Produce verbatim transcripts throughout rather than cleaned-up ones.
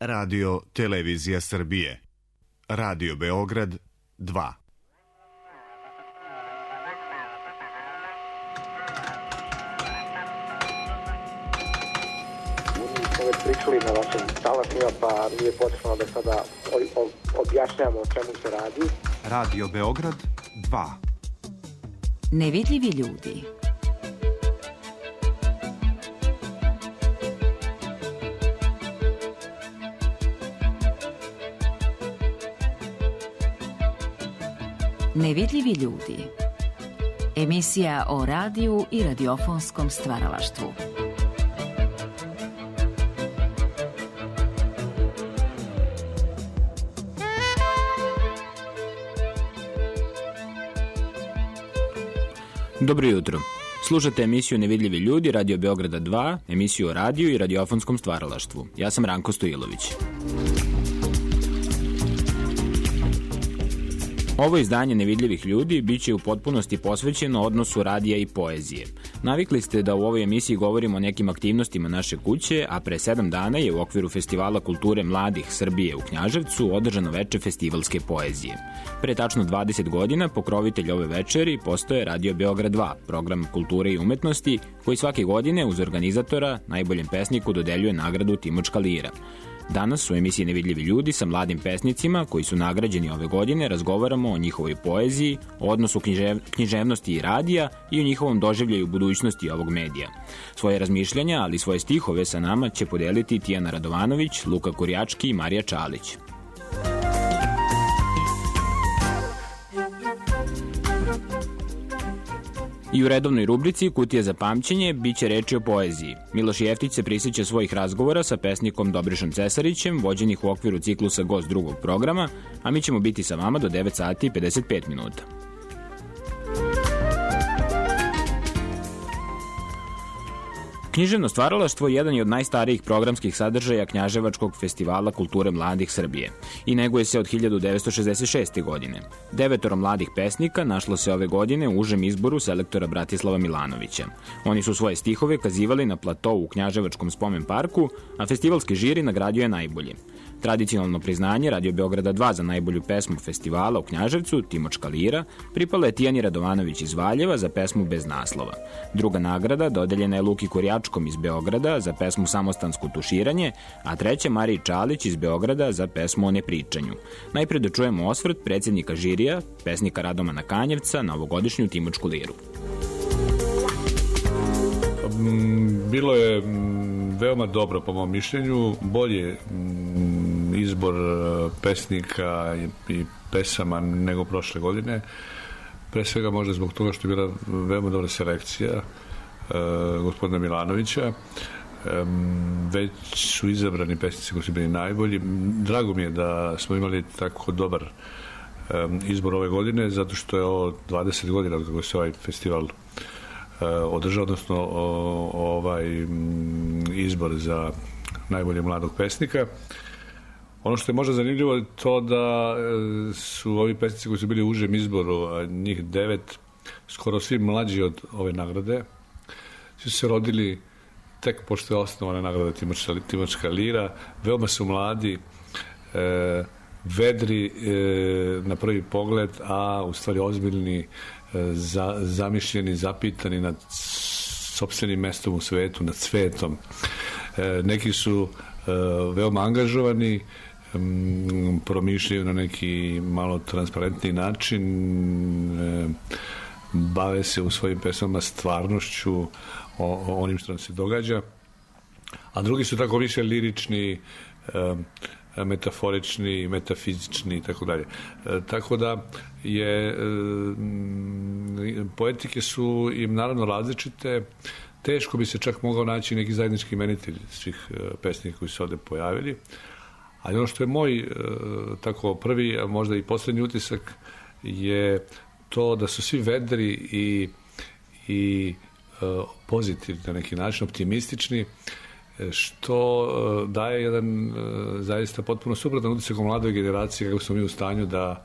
Radio Televizija Srbije. Radio Beograd dva. Već pričali na vašim talasima, pa nije potrebno da sada objašnjamo o čemu se radi. Radio Beograd dva. Nevidljivi ljudi. Nevidljivi ljudi. Emisija o radiju i radiofonskom stvaralaštvu. Dobro jutro. Slušate emisiju Nevidljivi ljudi, Radio Beograda dva, emisiju o radiju i radiofonskom stvaralaštvu. Ja sam Ranko Stojilović. Ovo izdanje Nevidljivih ljudi biće u potpunosti posvećeno odnosu radija i poezije. Navikli ste da u ovoj emisiji govorimo o nekim aktivnostima naše kuće, a pre sedam dana je u okviru Festivala kulture mladih Srbije u Knjaževcu održano veče festivalske poezije. Pre tačno dvadeset godina pokrovitelj ove večeri postoje Radio Beograd dva, program kulture i umetnosti, koji svake godine uz organizatora najboljem pesniku dodeljuje nagradu Timočka lira. Danas u emisiji Nevidljivi ljudi sa mladim pesnicima koji su nagrađeni ove godine razgovaramo o njihovoj poeziji, o odnosu književ, književnosti i radija i o njihovom doživljaju budućnosti ovog medija. Svoje razmišljanja, ali i svoje stihove sa nama će podeliti Tijana Radovanović, Luka Kurjački i Marija Čalić. I u redovnoj rubrici Kutija za pamćenje biće reči o poeziji. Miloš Jeftić se prisjeća svojih razgovora sa pesnikom Dobrišom Cesarićem, vođenih u okviru ciklusa Gost drugog programa, a mi ćemo biti sa vama do devet sati i pedeset pet minuta. Književno stvaralaštvo jedan je od najstarijih programskih sadržaja Knjaževačkog festivala kulture mladih Srbije i neguje se od hiljadu devetsto šezdeset šeste. godine. Devetoro mladih pesnika našlo se ove godine u užem izboru selektora Bratislava Milanovića. Oni su svoje stihove kazivali na platou u Knjaževačkom spomen parku, a festivalski žiri nagradio je najbolje. Tradicionalno priznanje Radio Beograda dva za najbolju pesmu festivala u Knjaževcu, Timočka lira, pripala je Tijani Radovanović iz Valjeva za pesmu Bez naslova. Druga nagrada dodeljena je Luki Kurjačkom iz Beograda za pesmu Samostansko tuširanje, a treća Mariji Čalić iz Beograda za pesmu O nepričanju. Najpre da čujemo osvrt predsjednika žirija, pesnika Radomana Kanjevca, na ovogodišnju Timočku liru. Bilo je veoma dobro, po mom mišljenju, bolje izbor pesnika i pesama nego prošle godine. Pre svega možda zbog toga što je bila veoma dobra selekcija e, gospodina Milanovića. E, već su izabrani pesnici koji su bili najbolji. Drago mi je da smo imali tako dobar e, izbor ove godine, zato što je ovo dvadeset godina od kako se ovaj festival održao, odnosno o, ovaj izbor za najbolje mladog pesnika. Ono što je možda zanimljivo je to da su ovi pesnici koji su bili u užem izboru, a njih devet, skoro svi mlađi od ove nagrade, su se rodili tek pošto je osnovana nagrada Timočka lira. Veoma su mladi, e, vedri e, na prvi pogled, a u stvari ozbiljni, Za, zamišljeni, zapitani nad sopstvenim mestom u svetu, nad svetom. E, neki su e, veoma angažovani, m, promišljaju na neki malo transparentni način, e, bave se u svojim pesmama stvarnošću, o, o onim što nam se događa, a drugi su tako više lirični, e, metaforični, metafizični i tako dalje. Tako da je e, poetike su im naravno različite. Teško bi se čak mogao naći neki zajednički imenitelj svih e, pesnika koji su ovde pojavili. Ali ono što je moj e, tako prvi, a možda i poslednji utisak je to da su svi vedri i, i e, pozitivni na neki način, optimistični, što daje jedan zaista potpuno suprotan utisak o mladoj generaciji, kako smo mi u stanju da,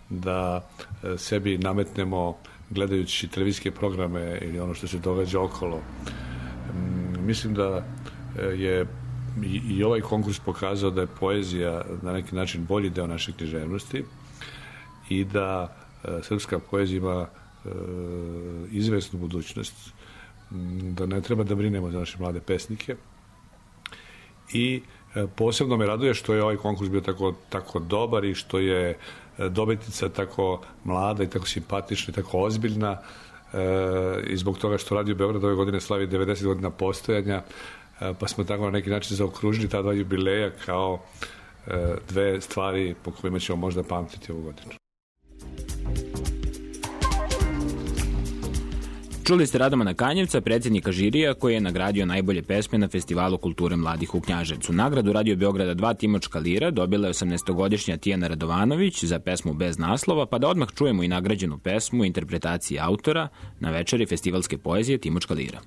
da sebi nametnemo gledajući televizijske programe ili ono što se događa okolo. Mislim da je i, i ovaj konkurs pokazao da je poezija na neki način bolji deo naše književnosti i da e, srpska poezija ima e, izvesnu budućnost, da ne treba da brinemo za naše mlade pesnike. I e, posebno me raduje što je ovaj konkurs bio tako, tako dobar i što je dobitnica tako mlada i tako simpatična i tako ozbiljna, e, i zbog toga što Radio Beograd ove godine slavi devedeset godina postojanja, e, pa smo tako na neki način zaokružili ta dva jubileja kao e, dve stvari po kojima ćemo možda pamtiti ovu godinu. Čuli ste Radomana Kanjevca, predsjednika žirija koji je nagradio najbolje pesme na Festivalu kulture mladih u Knjaževcu. Nagradu Radio Beograda dva Timočka lira dobila je osamnaestogodišnja Tijana Radovanović za pesmu Bez naslova, pa da odmah čujemo i nagrađenu pesmu interpretaciji autora na večeri festivalske poezije Timočka lira.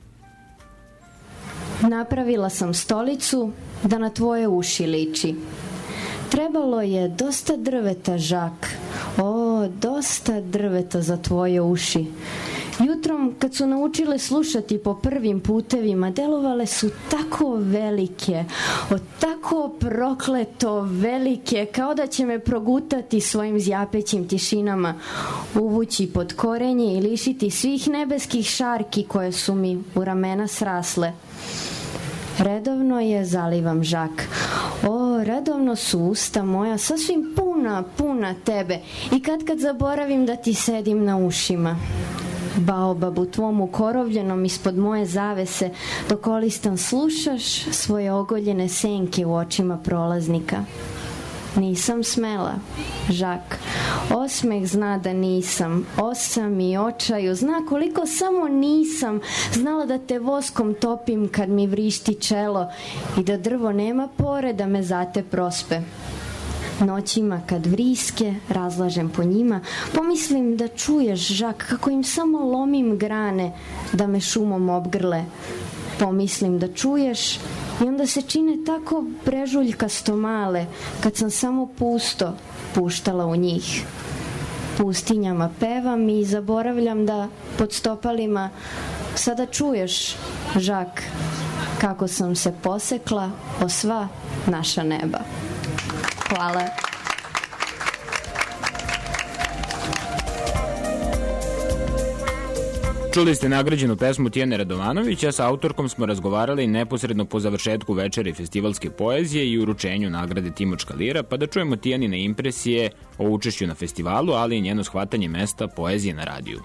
Napravila sam stolicu da na tvoje uši liči. Trebalo je dosta drveta, Žak. O, dosta drveta za tvoje uši. Jutrom, kad su naučile slušati po prvim putevima, delovale su tako velike, o tako prokleto velike, kao da će me progutati svojim zjapećim tišinama, uvući pod korenje i lišiti svih nebeskih šarki koje su mi u ramena srasle. Redovno je zalivam, Žak. O, redovno su usta moja sasvim puna, puna tebe i kad kad zaboravim da ti sedim na ušima. Baobabu tvom ukorovljenom ispod moje zavese, dok olistan slušaš svoje ogoljene senke u očima prolaznika. Nisam smela, Žak. Osmeh zna da nisam. Osam i očaju zna koliko samo nisam znala da te voskom topim kad mi vrišti čelo i da drvo nema pore da me zate prospe. Noćima kad vriske razlažem po njima, pomislim da čuješ, Žak, kako im samo lomim grane da me šumom obgrle. Pomislim da čuješ i onda se čine tako brežuljkasto male kad sam samo pusto puštala u njih. Pustinjama pevam i zaboravljam da pod stopalima sada čuješ, Žak, kako sam se posekla o sva naša neba. Hvala. Čuli ste nagrađenu pesmu Tijane Radovanović, a sa autorkom smo razgovarali neposredno po završetku večeri festivalske poezije i uručenju nagrade Timočka lira, pa da čujemo Tijanine impresije o učešću na festivalu, ali i njeno shvatanje mesta poezije na radiju.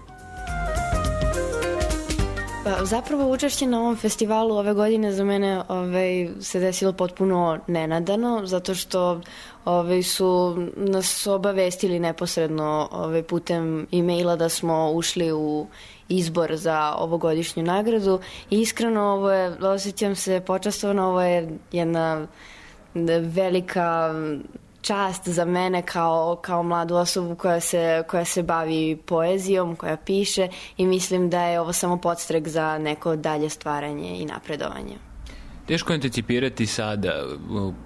Pa, zapravo učešće na ovom festivalu ove godine za mene ovaj, se desilo potpuno nenadano, zato što ovaj, su nas obavestili neposredno ovaj, putem e-maila da smo ušli u izbor za ovogodišnju nagradu i iskreno ovo je, osjećam se počastvovano, ovo je jedna velika čast za mene kao, kao mladu osobu koja se, koja se bavi poezijom, koja piše i mislim da je ovo samo podstrek za neko dalje stvaranje i napredovanje. Teško je anticipirati sada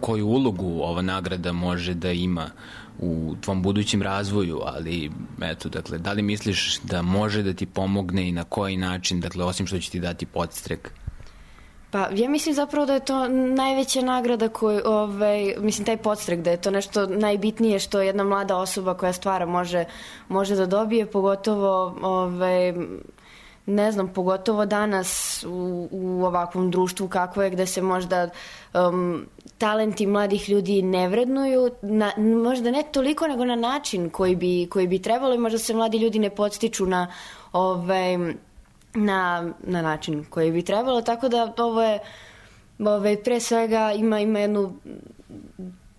koju ulogu ova nagrada može da ima u tvom budućem razvoju, ali eto, dakle, da li misliš da može da ti pomogne i na koji način, dakle, osim što će ti dati podstrek? Pa ja mislim zapravo da je to najveća nagrada koju, ovaj, mislim taj podstrek, da je to nešto najbitnije što jedna mlada osoba koja stvara može, može da dobije, pogotovo ovaj, ne znam, pogotovo danas u, u ovakvom društvu kako je, gde se možda um, talenti mladih ljudi ne vrednuju, na, možda ne toliko nego na način koji bi, koji bi trebalo i možda se mladi ljudi ne podstiču na ovaj, Na, na način koji bi trebalo, tako da ovo je ovaj, pre svega ima, ima jednu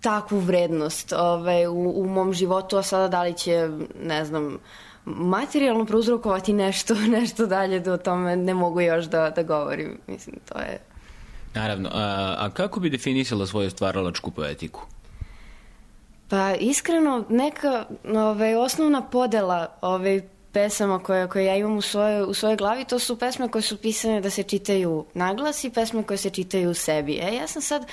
takvu vrednost ovaj, u, u mom životu, a sada da li će, ne znam, materijalno prouzrokovati nešto, nešto dalje, da o tome ne mogu još da, da govorim. Mislim, to je... Naravno. A, a kako bi definisala svoju stvaralačku poetiku? Pa iskreno, neka ovaj, osnovna podela ovaj, pesama koje, koje ja imam u svojoj, u svojoj glavi, to su pesme koje su pisane da se čitaju naglas i pesme koje se čitaju u sebi. E, ja sam sad,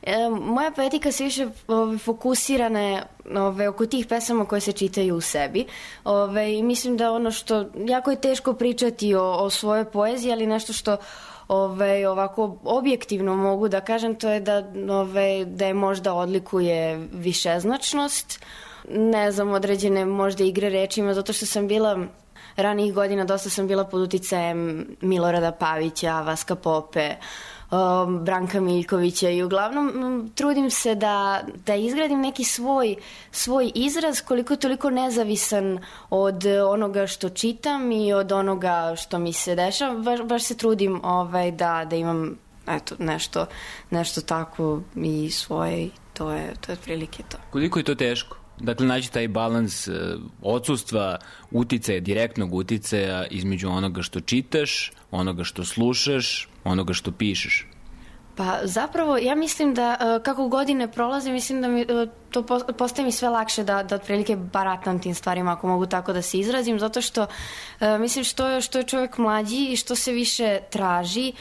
e, moja poetika se više ove, fokusirana je ove, oko tih pesama koje se čitaju u sebi. Ove, mislim da ono što, jako je teško pričati o, o svojoj poeziji, ali nešto što Ove, ovako objektivno mogu da kažem, to je da, ove, da je možda odlikuje višeznačnost, ne znam, određene možda igre rečima, zato što sam bila ranijih godina, dosta sam bila pod uticajem Milorada Pavića, Vaska Pope, um, Branka Miljkovića i uglavnom um, trudim se da, da izgradim neki svoj, svoj izraz koliko toliko nezavisan od onoga što čitam i od onoga što mi se dešava. Baš, baš se trudim ovaj, da, da imam eto, nešto, nešto tako i svoje, to je, to je otprilike to. Koliko je to teško? Dakle, naći taj balans odsustva uticaja, direktnog uticaja između onoga što čitaš, onoga što slušaš, onoga što pišeš. Pa zapravo ja mislim da kako godine prolaze, mislim da mi to postaje mi sve lakše da, da otprilike baratam tim stvarima, ako mogu tako da se izrazim, zato što mislim što je, što je čovjek mlađi i što se više traži,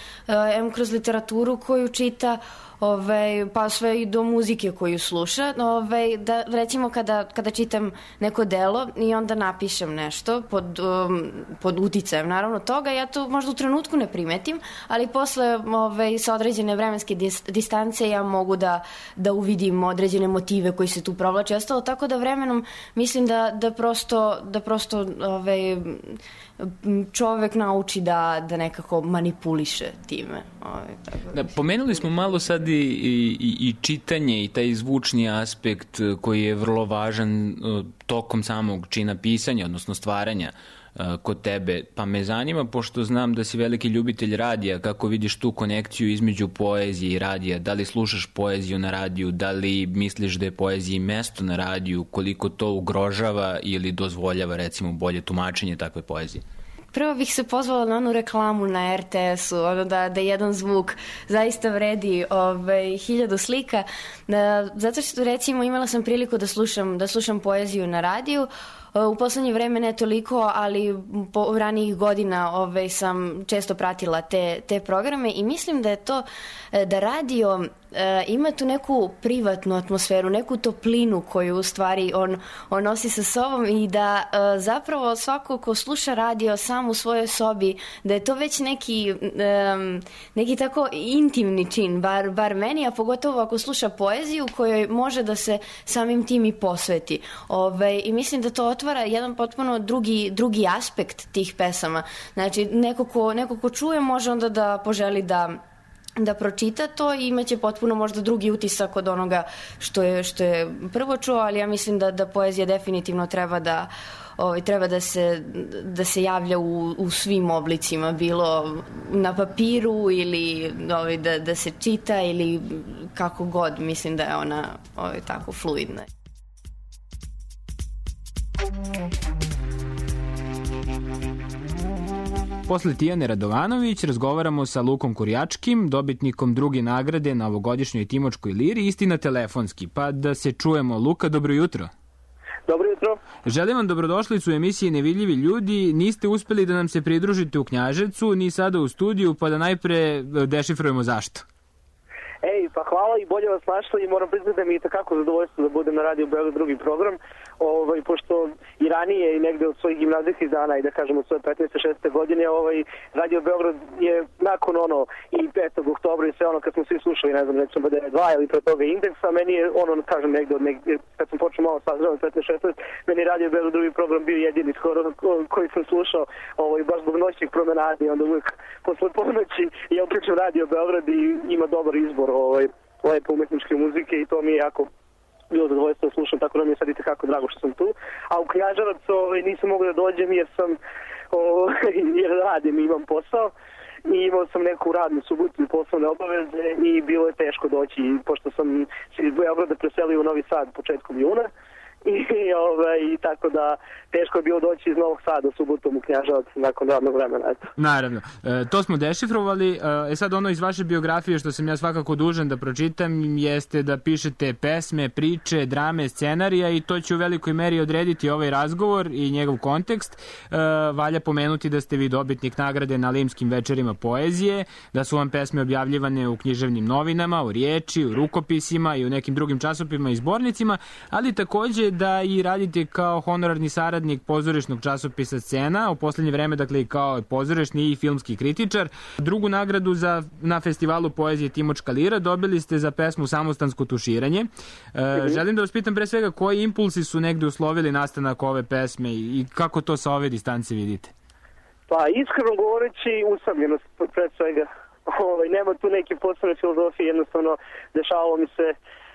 em kroz literaturu koju čita, Ove, pa sve i do muzike koju sluša, ove, da recimo kada, kada čitam neko delo i onda napišem nešto pod, um, pod uticajem naravno toga, ja to možda u trenutku ne primetim, ali posle ove, sa određene vremenske dis, distance ja mogu da, da uvidim određene motive koji se tu provlače i ostalo, tako da vremenom mislim da, da prosto, da prosto ove, čovek nauči da, da nekako manipuliše time. Ove, tako da, da, pomenuli smo malo sad i, i, i čitanje i taj zvučni aspekt koji je vrlo važan tokom samog čina pisanja, odnosno stvaranja kod tebe, pa me zanima, pošto znam da si veliki ljubitelj radija, kako vidiš tu konekciju između poezije i radija, da li slušaš poeziju na radiju, da li misliš da je poeziji mesto na radiju, koliko to ugrožava ili dozvoljava recimo bolje tumačenje takve poezije? Prvo bih se pozvala na onu reklamu na er te esu, ono da, da jedan zvuk zaista vredi ovaj, hiljadu slika, da, zato što recimo imala sam priliku da slušam, da slušam poeziju na radiju. U poslednje vreme ne toliko, ali po ranijih godina ovaj, sam često pratila te, te programe i mislim da je to, da radio e, ima tu neku privatnu atmosferu, neku toplinu koju u stvari on, on nosi sa sobom i da e, zapravo svako ko sluša radio sam u svojoj sobi, da je to već neki, e, neki tako intimni čin, bar, bar meni, a pogotovo ako sluša poeziju kojoj može da se samim tim i posveti. Ove, I mislim da to otvara jedan potpuno drugi, drugi aspekt tih pesama. Znači, neko ko, neko ko čuje može onda da poželi da da pročita to i imaće potpuno možda drugi utisak od onoga što je, što je prvo čuo, ali ja mislim da, da poezija definitivno treba da ovaj, treba da se, da se javlja u, u svim oblicima, bilo na papiru ili ovaj, da, da se čita ili kako god, mislim da je ona ovaj, tako fluidna. Posle Tijane Radovanović razgovaramo sa Lukom Kurjačkim, dobitnikom druge nagrade na ovogodišnjoj Timočkoj liri, istina telefonski. Pa da se čujemo. Luka, dobro jutro. Dobro jutro. Želim vam dobrodošlicu u emisiji Nevidljivi ljudi. Niste uspeli da nam se pridružite u Knjaževcu, ni sada u studiju, pa da najpre dešifrujemo zašto. Ej, pa hvala i bolje vas našli i moram priznati da mi je takako zadovoljstvo da budem na Radio Beograd drugi program, ovaj, pošto i ranije i negde od svojih gimnazijskih dana i da kažemo od svoje petnaeste šesnaeste godine, ovaj, Radio Beograd je nakon ono i petog oktobra i sve ono kad smo svi slušali, ne znam, recimo B D dva ili pre toga Indeksa, meni je ono, kažem, negde od negde, kad sam počeo malo sazreo petnaeste šesnaeste, meni je Radio Beograd drugi program bio jedini skoro koji sam slušao, ovaj, baš zbog noćnih promenada i onda uvijek posle ponoći ja uključim Radio Beograd i ima dobar izbor ovaj, lepe umetničke muzike i to mi je jako bilo zadovoljstvo da slušam, tako da mi je sad i tekako drago što sam tu. A u Knjaževac ovaj, nisam mogao da dođem jer sam ovaj, jer radim i imam posao i imao sam neku radnu subotu i poslovne obaveze i bilo je teško doći pošto sam se iz Beograda preselio u Novi Sad početkom juna. I, ovaj, i tako da teško je bilo doći iz Novog Sada subotom u Knjaževac nakon radnog vremena. Eto. Naravno. E, to smo dešifrovali. E sad ono iz vaše biografije što sam ja svakako dužan da pročitam jeste da pišete pesme, priče, drame, scenarija i to će u velikoj meri odrediti ovaj razgovor i njegov kontekst. E, valja pomenuti da ste vi dobitnik nagrade na Limskim večerima poezije, da su vam pesme objavljivane u književnim novinama, u riječi, u rukopisima i u nekim drugim časopima i zbornicima, ali takođe ste da i radite kao honorarni saradnik pozorišnog časopisa Scena, u poslednje vreme, dakle, i kao pozorišni i filmski kritičar. Drugu nagradu za, na festivalu poezije Timočka lira dobili ste za pesmu Samostansko tuširanje. E, želim da vas pitam pre svega koji impulsi su negde uslovili nastanak ove pesme i kako to sa ove distance vidite? Pa iskreno govoreći usamljenost pre svega. Ovaj, nema tu neke posebne filozofije, jednostavno dešavalo mi se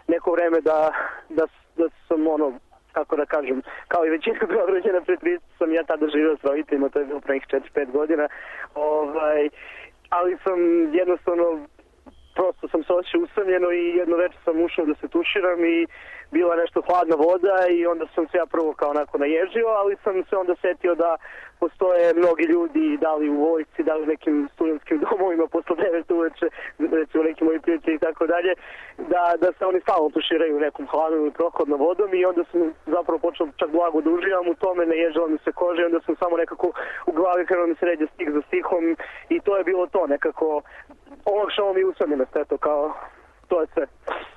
neko vreme da, da, da sam ono, kako da kažem, kao i većina Beograđana pred trideset sam ja tada živio s roditeljima, to je bilo pre nekih četiri pet godina, ovaj, ali sam jednostavno prosto sam se osjećao usamljeno i jedno večer sam ušao da se tuširam i bila nešto hladna voda i onda sam se ja prvo kao onako naježio, ali sam se onda setio da postoje mnogi ljudi, da li u vojsci, da li u nekim studentskim domovima posle devet uveče, recimo neki moji prijatelji i tako dalje, da, da se oni stalno tuširaju nekom hladnom ili prohodnom vodom i onda sam zapravo počeo čak blago da uživam u tome, naježila mi se koža i onda sam samo nekako u glavi krenuo mi se ređe stih za stihom i to je bilo to, nekako olakšalo mi usamljenost, eto kao to je sve.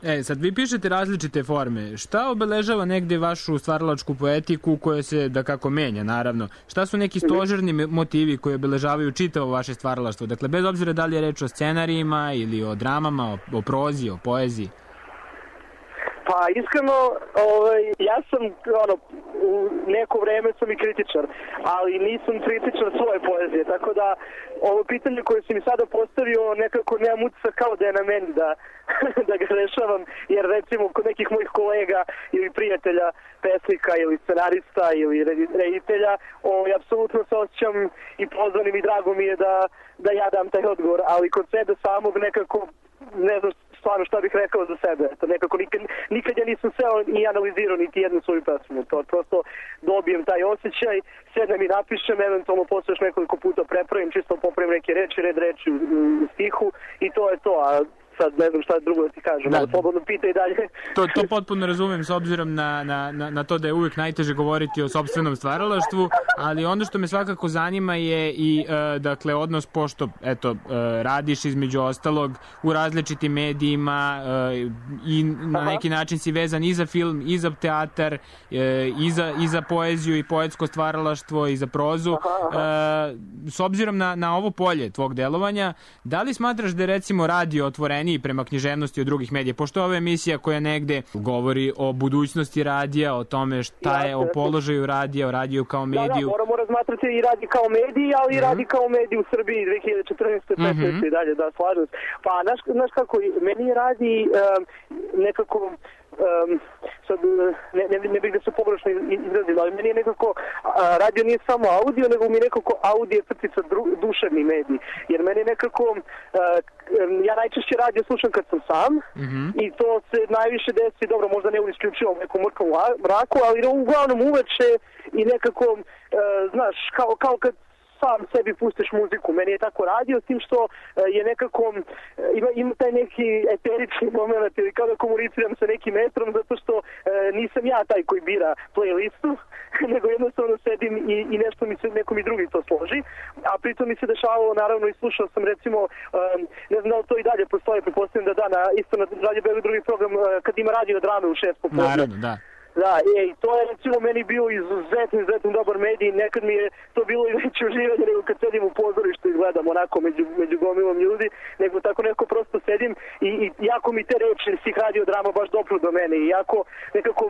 E, sad vi pišete različite forme. Šta obeležava negde vašu stvaralačku poetiku koja se, da kako menja, naravno? Šta su neki stožerni motivi koji obeležavaju čitavo vaše stvaralaštvo? Dakle, bez obzira da li je reč o scenarijima ili o dramama, o, o prozi, o poeziji? Pa iskreno, ovaj, ja sam ono, u neko vreme sam i kritičar, ali nisam kritičar svoje poezije, tako da ovo pitanje koje si mi sada postavio nekako nema utisak kao da je na meni da, da ga rešavam, jer recimo kod nekih mojih kolega ili prijatelja, pesnika ili scenarista ili reditelja, ovaj, apsolutno se osjećam i pozvanim i drago mi je da, da ja dam taj odgovor, ali kod sebe samog nekako ne znam stvarno šta bih rekao za sebe. To nekako nikad, nikad ja nisam seo i analizirao niti jednu svoju pesmu. To prosto dobijem taj osjećaj, sedem i napišem, eventualno posle još nekoliko puta prepravim, čisto popravim neke reči, red reči u, u stihu i to je to. A sad ne znam šta drugo da ti kažem, da, ali slobodno pitaj dalje. To, to potpuno razumem s obzirom na, na, na, na to da je uvijek najteže govoriti o sopstvenom stvaralaštvu, ali ono što me svakako zanima je i uh, dakle odnos, pošto eto, uh, radiš između ostalog u različitim medijima uh, i na Aha. neki način si vezan i za film, i za teatar, uh, i, za, i za poeziju i poetsko stvaralaštvo i za prozu. Aha, aha. Uh, s obzirom na, na ovo polje tvog delovanja, da li smatraš da je recimo radio otvoren prema književnosti od drugih medija, pošto ova emisija koja negde govori o budućnosti radija, o tome šta je, o položaju radija, o radiju kao mediju. Da, da, moramo razmatrati i radi kao mediji, ali i mm-hmm. radi kao mediji u Srbiji dve hiljade četrnaeste. petnaeste Mm-hmm. i dalje, da, slažem. Pa, znaš, znaš kako, meni radi um, nekako Um, sad ne, ne, ne bih da se pogrešno izrazim, ali meni je nekako a, radio nije samo audio, nego mi je nekako audio crtica duševni medij, jer meni je nekako a, ja najčešće radio slušam kad sam sam mm-hmm. i to se najviše desi, dobro, možda ne isključivo u nekom mrtvom mraku, ali uglavnom uveče i nekako a, znaš, kao, kao kad sam sebi pustiš muziku. Meni je tako radio, s tim što uh, je nekako, uh, ima, ima taj neki eterični moment ili kao da komuniciram sa nekim metrom, zato što uh, nisam ja taj koji bira playlistu, nego jednostavno sedim i, i nešto mi se, neko mi drugi to složi. A pritom mi se dešavalo, naravno, i slušao sam recimo, um, ne znam da li to i dalje postoje, pretpostavljam da da, na, isto na Radio Beograd drugi program, uh, kad ima radio drame u šest popodne. Naravno, da. Da, ej, to je recimo meni bio izuzetno, izuzetno dobar medij, nekad mi je to bilo i veće uživanje nego kad sedim u pozorištu i gledam onako među, među gomilom ljudi, nego tako neko prosto sedim i, i jako mi te reči svih radiodrama baš dopru do mene i jako nekako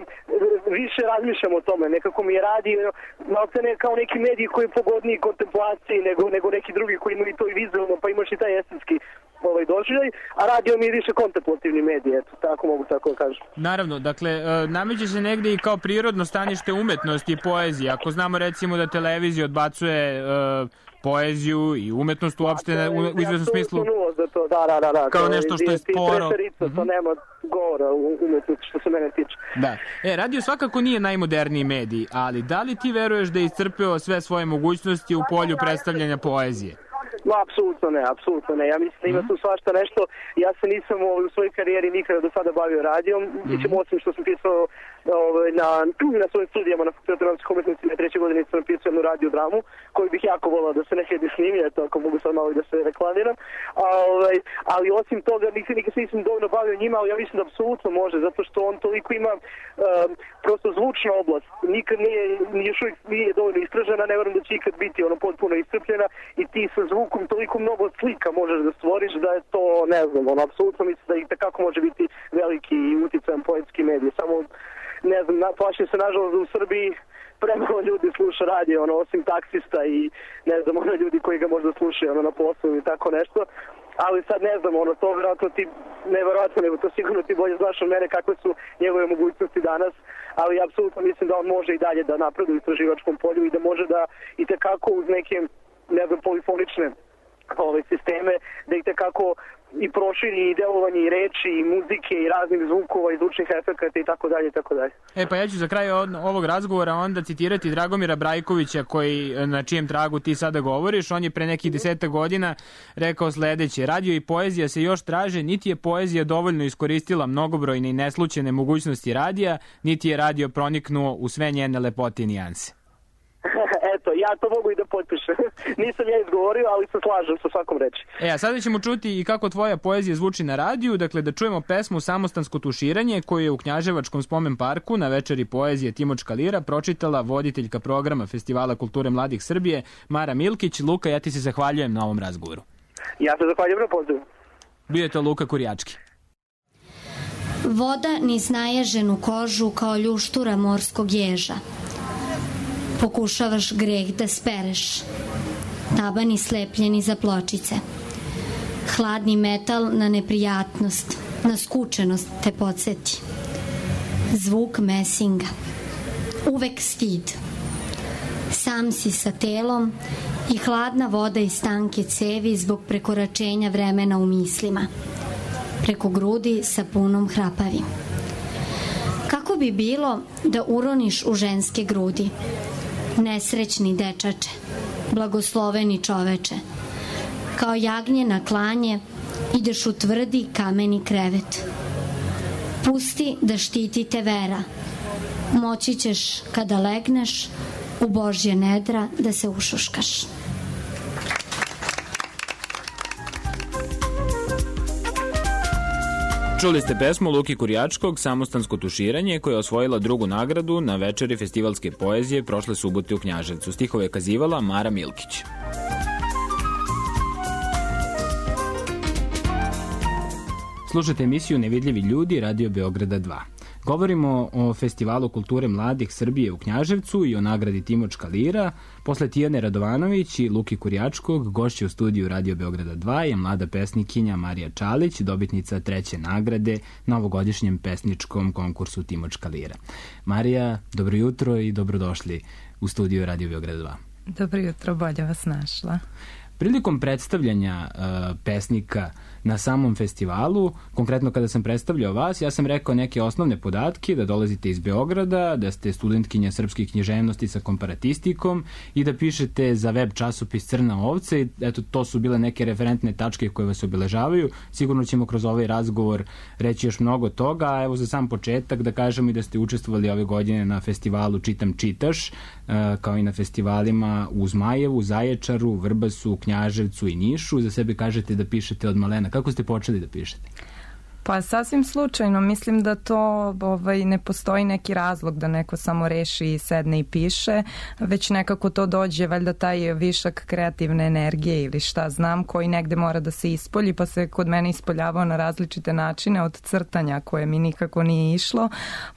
više razmišljam o tome, nekako mi je radio, malce ne kao neki medij koji je pogodniji kontemplaciji nego, nego neki drugi koji imaju to i vizualno, pa imaš i taj estetski ovaj doživljaj, a radio mi je više kontemplativni medij, eto, tako mogu tako da kažem. Naravno, dakle, nameće se negde i kao prirodno stanište umetnosti i poezije. Ako znamo recimo da televizija odbacuje uh, poeziju i umetnost uopšte u, u izvesnom smislu to, da, da, da, da, kao nešto što je sporo. Mm-hmm. To nema govora u umetnosti što se mene tiče. Da. E, radio svakako nije najmoderniji medij, ali da li ti veruješ da je iscrpeo sve svoje mogućnosti u polju predstavljanja poezije? No, apsolutno ne, apsolutno ne. Ja mislim da ima tu svašta nešto. Ja se nisam u svojoj karijeri nikada do sada bavio radijom. Mislim, osim što sam pisao ovaj, na, na svojim studijama na Fakultetu dramskih umetnosti na trećoj godini sam napisao jednu radiodramu koju bih jako volao da se nekada snimi, eto ako mogu sad malo i da se reklamiram. A, ovaj, ali osim toga nikad, nikad se nisam dovoljno bavio njima, ali ja mislim da apsolutno može, zato što on toliko ima um, prosto zvučna oblast. Nikad nije, još uvijek nije dovoljno istražena, ne verujem da će ikad biti ono potpuno iscrpljena i ti sa zvukom toliko mnogo slika možeš da stvoriš da je to, ne znam, ono, apsolutno mislim da i takako može biti veliki uticajan poetski medij. Samo, ne znam, plašim se nažalost da u Srbiji premalo ljudi sluša radio, ono, osim taksista i, ne znam, ono, ljudi koji ga možda slušaju, ono, na poslu i tako nešto. Ali sad ne znam, ono, to vjerojatno ti, ne vjerojatno, nego to sigurno ti bolje znaš od mene kakve su njegove mogućnosti danas, ali apsolutno mislim da on može i dalje da napreduje u istraživačkom polju i da može da i tekako uz neke, ne znam, polifonične ove sisteme, da ih tekako i proširi i delovanje i reči i muzike i raznih zvukova i zvučnih efekata i tako dalje i tako dalje. E pa ja ću za kraj ovog razgovora onda citirati Dragomira Brajkovića koji, na čijem tragu ti sada govoriš. On je pre nekih deseta godina rekao sledeće: radio i poezija se još traže, niti je poezija dovoljno iskoristila mnogobrojne i neslućene mogućnosti radija, niti je radio proniknuo u sve njene lepote i nijanse. Eto, ja to mogu i da potpišem. Nisam ja izgovorio, ali se slažem sa svakom reči. E, a sada ćemo čuti i kako tvoja poezija zvuči na radiju, dakle da čujemo pesmu Samostansko tuširanje koju je u Knjaževačkom spomen parku na večeri poezije Timočka lira pročitala voditeljka programa Festivala kulture mladih Srbije Mara Milkić. Luka, ja ti se zahvaljujem na ovom razgovoru. Ja se zahvaljujem na pozivu. Bio je to Luka Kurjački. Voda niz naježenu kožu kao ljuštura morskog ježa. Pokušavaš greh da spereš, tabani slepljeni za pločice. Hladni metal na neprijatnost, na skučenost te podsjeti. Zvuk mesinga, uvek stid. Sam si sa telom i hladna voda iz tanke cevi zbog prekoračenja vremena u mislima. Preko grudi sa punom hrapavim. Kako bi bilo da uroniš u ženske grudi? Nesrećni dečače, blagosloveni čoveče, kao jagnje na klanje ideš u tvrdi kameni krevet. Pusti da štiti te vera, moći ćeš kada legneš u Božje nedra da se ušuškaš. Čuli ste pesmu Luki Kurjačkog Samostansko tuširanje koja je osvojila drugu nagradu na večeri festivalske poezije prošle subote u Knjaževcu. Stihove je kazivala Mara Milkić. Slušate emisiju Nevidljivi ljudi Radio Beograda dva. Govorimo o Festivalu kulture mladih Srbije u Knjaževcu i o nagradi Timočka lira. Posle Tijane Radovanović i Luki Kurjačkog, gošće u studiju Radio Beograda dva je mlada pesnikinja Marija Čalić, dobitnica treće nagrade na ovogodišnjem pesničkom konkursu Timočka lira. Marija, dobro jutro i dobrodošli u studiju Radio Beograda dva. Dobro jutro, bolje vas našla. Prilikom predstavljanja uh, pesnika na samom festivalu, konkretno kada sam predstavljao vas, ja sam rekao neke osnovne podatke, da dolazite iz Beograda, da ste studentkinja srpske književnosti sa komparatistikom i da pišete za web časopis Crna ovca i eto, to su bile neke referentne tačke koje vas obeležavaju. Sigurno ćemo kroz ovaj razgovor reći još mnogo toga, a evo za sam početak da kažemo i da ste učestvovali ove godine na festivalu Čitam čitaš, uh, kao i na festivalima u Zmajevu, Zaječaru, Vrbasu, Knjaževcu i Nišu. Za sebe kažete da pišete od malena. Kako ste počeli da pišete? Pa sasvim slučajno, mislim da to ovaj, ne postoji neki razlog da neko samo reši i sedne i piše, već nekako to dođe, valjda taj višak kreativne energije ili šta znam, koji negde mora da se ispolji, pa se kod mene ispoljavao na različite načine, od crtanja koje mi nikako nije išlo,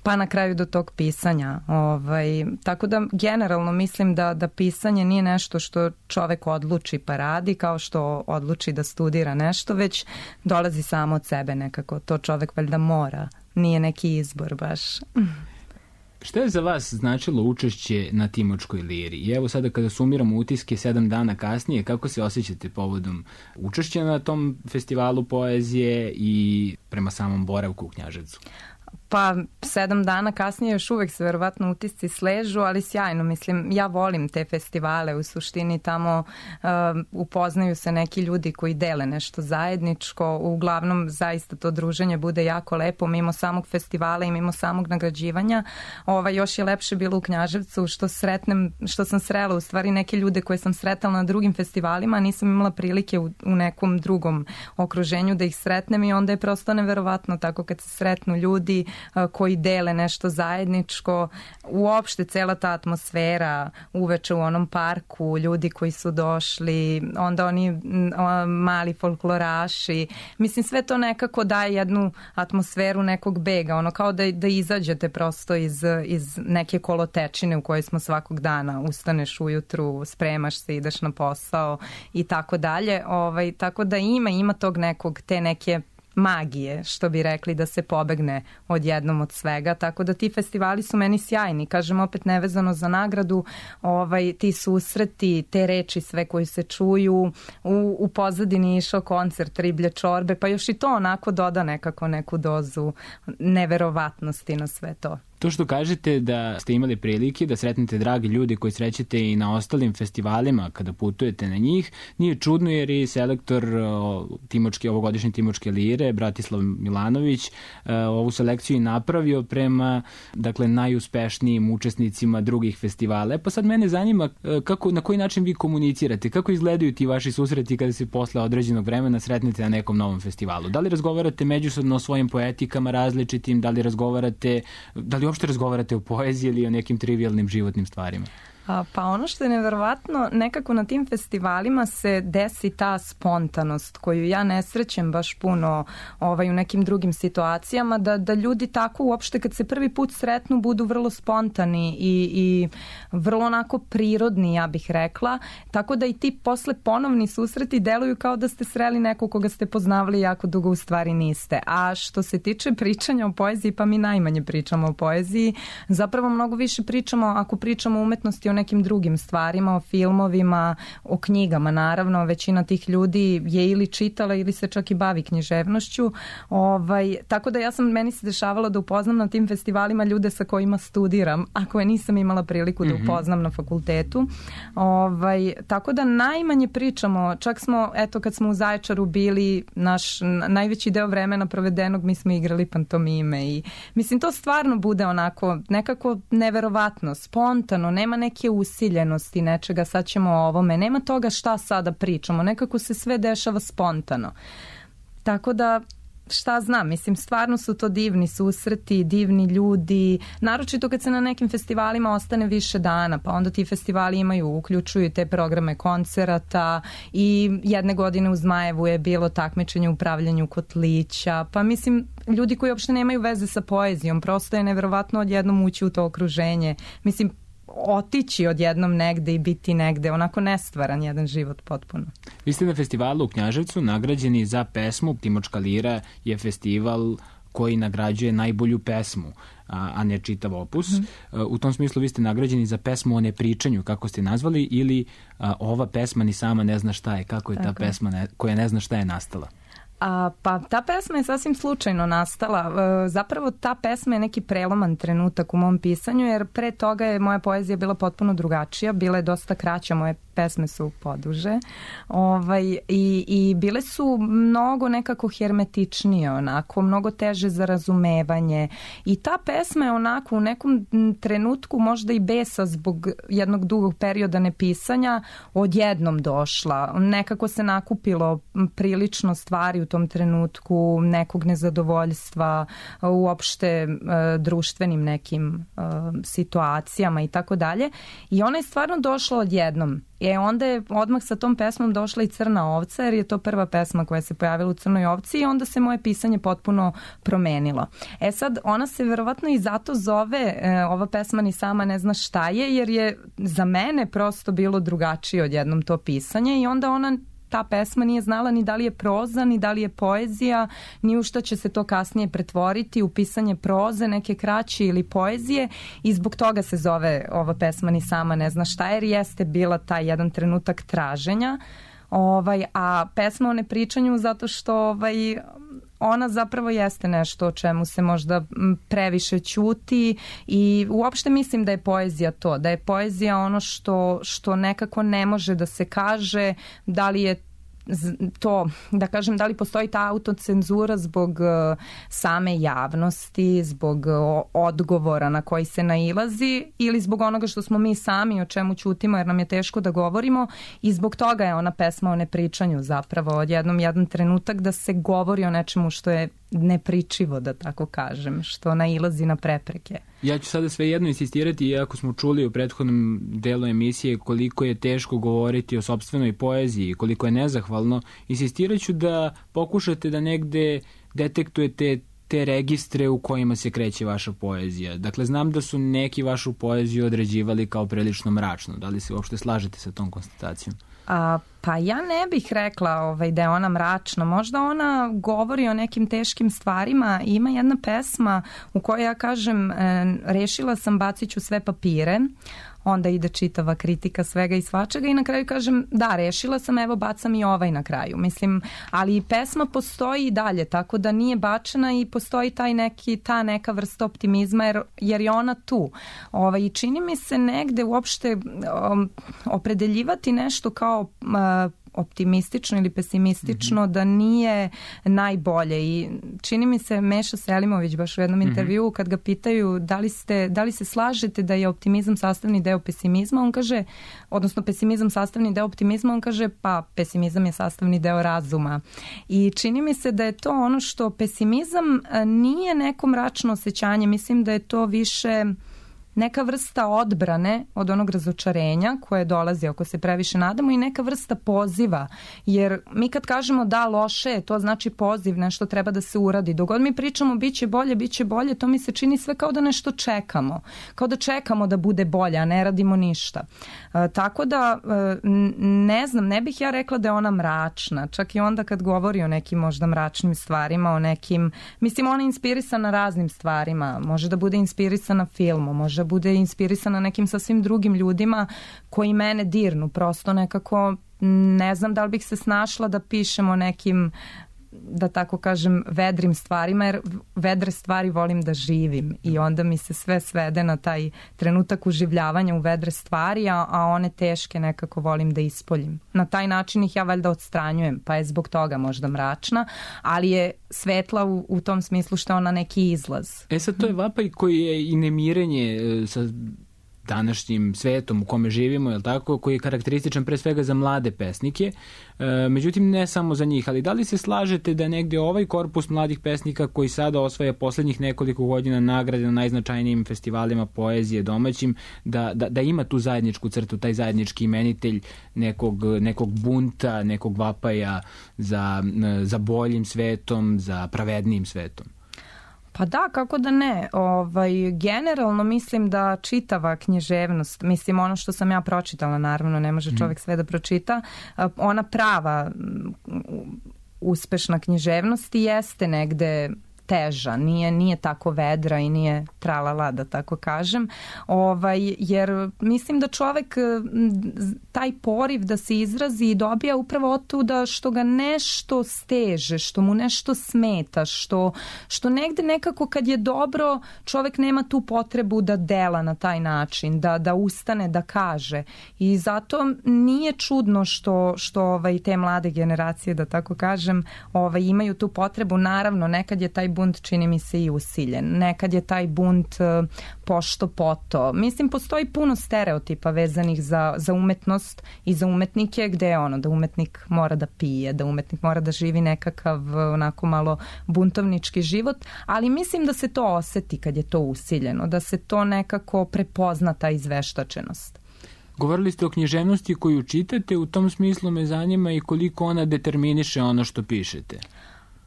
pa na kraju do tog pisanja. Ovaj, tako da generalno mislim da, da pisanje nije nešto što čovek odluči pa radi, kao što odluči da studira nešto, već dolazi samo od sebe nekako. To čovek valjda mora, nije neki izbor baš. Šta je za vas značilo učešće na Timočkoj liri? I evo sada kada sumiramo utiske sedam dana kasnije, kako se osjećate povodom učešća na tom festivalu poezije i prema samom boravku u Knjaževcu? Pa sedam dana kasnije još uvek se verovatno utisci sležu, ali sjajno, mislim, ja volim te festivale, u suštini tamo uh, upoznaju se neki ljudi koji dele nešto zajedničko, uglavnom zaista to druženje bude jako lepo, mimo samog festivala i mimo samog nagrađivanja. Ova, još je lepše bilo u Knjaževcu što sretnem, što sam srela u stvari neke ljude koje sam sretala na drugim festivalima, nisam imala prilike u, u nekom drugom okruženju da ih sretnem i onda je prosto neverovatno tako kad se sretnu ljudi koji dele nešto zajedničko, uopšte cela ta atmosfera uveče u onom parku, ljudi koji su došli, onda oni mali folkloraši, mislim sve to nekako daje jednu atmosferu nekog bega, ono kao da, da izađete prosto iz, iz neke kolotečine u kojoj smo svakog dana, ustaneš ujutru, spremaš se, ideš na posao i tako dalje, ovaj, tako da ima, ima tog nekog, te neke magije, što bi rekli, da se pobegne odjednom od svega, tako da ti festivali su meni sjajni, kažem opet nevezano za nagradu, ovaj, ti susreti, te reči sve koji se čuju, u, u pozadini išao koncert Riblje čorbe, pa još i to onako doda nekako neku dozu neverovatnosti na sve to. To što kažete da ste imali prilike da sretnete dragi ljudi koji srećete i na ostalim festivalima kada putujete na njih, nije čudno jer i selektor timočke, ovogodišnje Timočke lire, Bratislav Milanović, ovu selekciju i napravio prema dakle, najuspešnijim učesnicima drugih festivala. E pa sad mene zanima kako, na koji način vi komunicirate, kako izgledaju ti vaši susreti kada se posle određenog vremena sretnete na nekom novom festivalu? Da li razgovarate međusobno o svojim poetikama različitim, da li razgovarate, da li uopšte razgovarate o poeziji ili o nekim trivialnim životnim stvarima? Pa ono što je neverovatno, nekako na tim festivalima se desi ta spontanost koju ja ne srećem baš puno ovaj, u nekim drugim situacijama, da, da ljudi tako uopšte kad se prvi put sretnu budu vrlo spontani i, i vrlo onako prirodni, ja bih rekla, tako da i ti posle ponovni susreti deluju kao da ste sreli nekog koga ste poznavali jako dugo, u stvari niste. A što se tiče pričanja o poeziji, pa mi najmanje pričamo o poeziji, zapravo mnogo više pričamo, ako pričamo o umetnosti, o nekim drugim stvarima, o filmovima, o knjigama, naravno, većina tih ljudi je ili čitala ili se čak i bavi književnošću. Ovaj, tako da ja sam, meni se dešavalo da upoznam na tim festivalima ljude sa kojima studiram, a koje nisam imala priliku da upoznam na fakultetu. Ovaj, tako da najmanje pričamo, čak smo, eto kad smo u Zaječaru bili, naš najveći deo vremena provedenog mi smo igrali pantomime i mislim to stvarno bude onako nekako neverovatno, spontano, nema neke usiljenosti nečega, sad ćemo o ovome, nema toga šta sada pričamo, nekako se sve dešava spontano. Tako da, šta znam, mislim, stvarno su to divni susreti, divni ljudi, naročito kad se na nekim festivalima ostane više dana, pa onda ti festivali imaju, uključuju te programe koncerata i jedne godine u Zmajevu je bilo takmičenje u pravljenju kotlića, pa mislim, ljudi koji uopšte nemaju veze sa poezijom, prosto je neverovatno odjednom ući u to okruženje, mislim, otići odjednom negde i biti negde, onako nestvaran jedan život potpuno. Vi ste na festivalu u Knjaževcu nagrađeni za pesmu. Timočka lira je festival koji nagrađuje najbolju pesmu, a, a ne čitav opus. Mm-hmm. U tom smislu vi ste nagrađeni za pesmu o nepričanju, kako ste nazvali, ili a, ova pesma ni sama ne zna šta je, kako je Tako. ta pesma ne, koja ne zna šta je nastala? A, pa ta pesma je sasvim slučajno nastala. E, zapravo ta pesma je neki preloman trenutak u mom pisanju, jer pre toga je moja poezija bila potpuno drugačija, bila je dosta kraća, moje pesme su poduže, ovaj, i, i bile su mnogo nekako hermetičnije, onako, mnogo teže za razumevanje i ta pesma je onako u nekom trenutku možda i besa zbog jednog dugog perioda nepisanja odjednom došla. Nekako se nakupilo prilično stvari u tom trenutku, nekog nezadovoljstva, uopšte uh, društvenim nekim uh, situacijama i tako dalje. I ona je stvarno došla odjednom. E onda je odmah sa tom pesmom došla i Crna ovca, jer je to prva pesma koja se pojavila u Crnoj ovci i onda se moje pisanje potpuno promenilo. E sad, ona se verovatno i zato zove, e, ova pesma ni sama ne zna šta je, jer je za mene prosto bilo drugačije odjednom to pisanje i onda ona ta pesma nije znala ni da li je proza, ni da li je poezija, ni u šta će se to kasnije pretvoriti u pisanje proze, neke kraće ili poezije i zbog toga se zove ova pesma ni sama ne zna šta, jer jeste bila taj jedan trenutak traženja. Ovaj, a pesma o nepričanju zato što ovaj, ona zapravo jeste nešto o čemu se možda previše ćuti i uopšte mislim da je poezija to, da je poezija ono što, što nekako ne može da se kaže, da li je to, da kažem, da li postoji ta autocenzura zbog same javnosti, zbog odgovora na koji se nailazi ili zbog onoga što smo mi sami o čemu ćutimo jer nam je teško da govorimo i zbog toga je ona pesma o nepričanju zapravo odjednom jedan trenutak da se govori o nečemu što je nepričivo, da tako kažem, što nailazi na prepreke. Ja ću sada svejedno insistirati, iako smo čuli u prethodnom delu emisije koliko je teško govoriti o sopstvenoj poeziji, koliko je nezahvalno, insistirat ću da pokušate da negde detektujete te registre u kojima se kreće vaša poezija. Dakle, znam da su neki vašu poeziju određivali kao prilično mračno. Da li se uopšte slažete sa tom konstatacijom? A, pa ja ne bih rekla ovaj, da je ona mračna. Možda ona govori o nekim teškim stvarima. Ima jedna pesma u kojoj ja kažem e, rešila sam, bacit ću sve papire. Onda ide čitava kritika svega i svačega i na kraju kažem da, rešila sam, evo bacam i ovaj na kraju. Mislim, ali pesma postoji i dalje, tako da nije bačena i postoji taj neki, ta neka vrsta optimizma jer, jer je ona tu. Ovaj, i čini mi se negde uopšte um, opredeljivati nešto kao uh, optimistično ili pesimistično mm-hmm. da nije najbolje i čini mi se Meša Selimović baš u jednom mm-hmm. intervjuu kad ga pitaju da li, ste, da li se slažete da je optimizam sastavni deo pesimizma, on kaže, odnosno pesimizam sastavni deo optimizma, on kaže pa pesimizam je sastavni deo razuma i čini mi se da je to ono što pesimizam nije neko mračno osjećanje, mislim da je to više neka vrsta odbrane od onog razočarenja koje dolazi ako se previše nadamo i neka vrsta poziva, jer mi kad kažemo da loše, to znači poziv, nešto treba da se uradi. Dok god mi pričamo biće bolje, biće bolje, to mi se čini sve kao da nešto čekamo, kao da čekamo da bude bolje, a ne radimo ništa. E, tako da, e, ne znam, ne bih ja rekla da je ona mračna, čak i onda kad govori o nekim možda mračnim stvarima, o nekim, mislim ona je inspirisana raznim stvarima, može da bude inspirisana filmom, može bude inspirisana nekim sasvim drugim ljudima koji mene dirnu. Prosto nekako ne znam da li bih se snašla da pišemo nekim, da tako kažem, vedrim stvarima, jer vedre stvari volim da živim i onda mi se sve svede na taj trenutak uživljavanja u vedre stvari, a, a one teške nekako volim da ispoljim. Na taj način ih ja valjda odstranjujem, pa je zbog toga možda mračna, ali je svetla u, u tom smislu što je ona neki izlaz. E sad to je vapaj koji je i nemirenje sa današnjim svetom u kome živimo, je tako, koji je karakterističan pre svega za mlade pesnike. E, međutim, ne samo za njih, ali da li se slažete da negde ovaj korpus mladih pesnika koji sada osvaja poslednjih nekoliko godina nagrade na najznačajnijim festivalima poezije domaćim, da, da, da ima tu zajedničku crtu, taj zajednički imenitelj nekog, nekog bunta, nekog vapaja za, za boljim svetom, za pravednijim svetom? Pa da, kako da ne. Ovaj, generalno mislim da čitava književnost, mislim ono što sam ja pročitala, naravno ne može čovjek sve da pročita, ona prava uspešna književnost jeste negde teža, nije, nije tako vedra i nije tralala, da tako kažem, ovaj, jer mislim da čovek taj poriv da se izrazi dobija upravo od tuda što ga nešto steže, što mu nešto smeta, što, što negde nekako kad je dobro čovek nema tu potrebu da dela na taj način, da, da ustane, da kaže i zato nije čudno što, što ovaj, te mlade generacije, da tako kažem, ovaj, imaju tu potrebu, naravno nekad je taj bunt čini mi se i usiljen. Nekad je taj bunt uh, pošto poto. Mislim, postoji puno stereotipa vezanih za, za umetnost i za umetnike gde je ono da umetnik mora da pije, da umetnik mora da živi nekakav onako malo buntovnički život, ali mislim da se to oseti kad je to usiljeno, da se to nekako prepozna ta izveštačenost. Govorili ste o književnosti koju čitate, u tom smislu me zanima i koliko ona determiniše ono što pišete.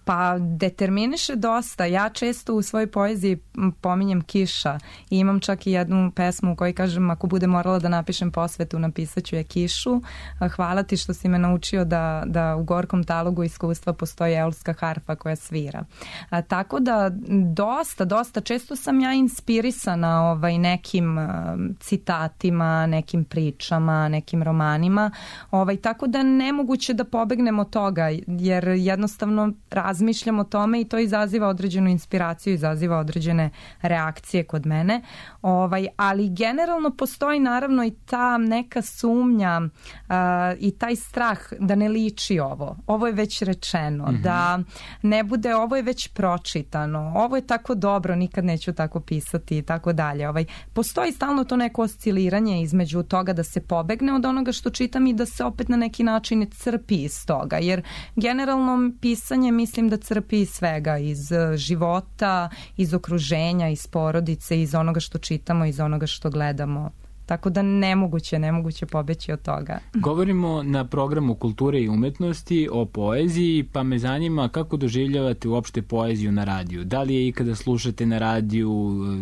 Pa determiniše dosta. Ja često u svojoj poeziji pominjem kiša i imam čak i jednu pesmu u kojoj kažem ako bude morala da napišem posvetu, napisat ću je kišu. Hvala ti što si me naučio da, da u gorkom talogu iskustva postoji eolska harfa koja svira. A, tako da dosta, dosta često sam ja inspirisana ovaj, nekim a, citatima, nekim pričama, nekim romanima. Ovaj, tako da nemoguće da pobegnem od toga jer jednostavno rad razmišljam o tome i to izaziva određenu inspiraciju, izaziva određene reakcije kod mene. Ovaj, ali generalno postoji naravno i ta neka sumnja uh, i taj strah da ne liči ovo. Ovo je već rečeno, mm-hmm. da ne bude, ovo je već pročitano, ovo je tako dobro, nikad neću tako pisati i tako dalje. Ovaj, postoji stalno to neko osciliranje između toga da se pobegne od onoga što čitam i da se opet na neki način crpi iz toga, jer generalno pisanje mislim da crpi iz svega, iz života, iz okruženja, iz porodice, iz onoga što čitamo, iz onoga što gledamo. Tako da nemoguće, nemoguće pobeći od toga. Govorimo na programu kulture i umetnosti o poeziji, pa me zanima kako doživljavate uopšte poeziju na radiju. Da li je ikada slušate na radiju,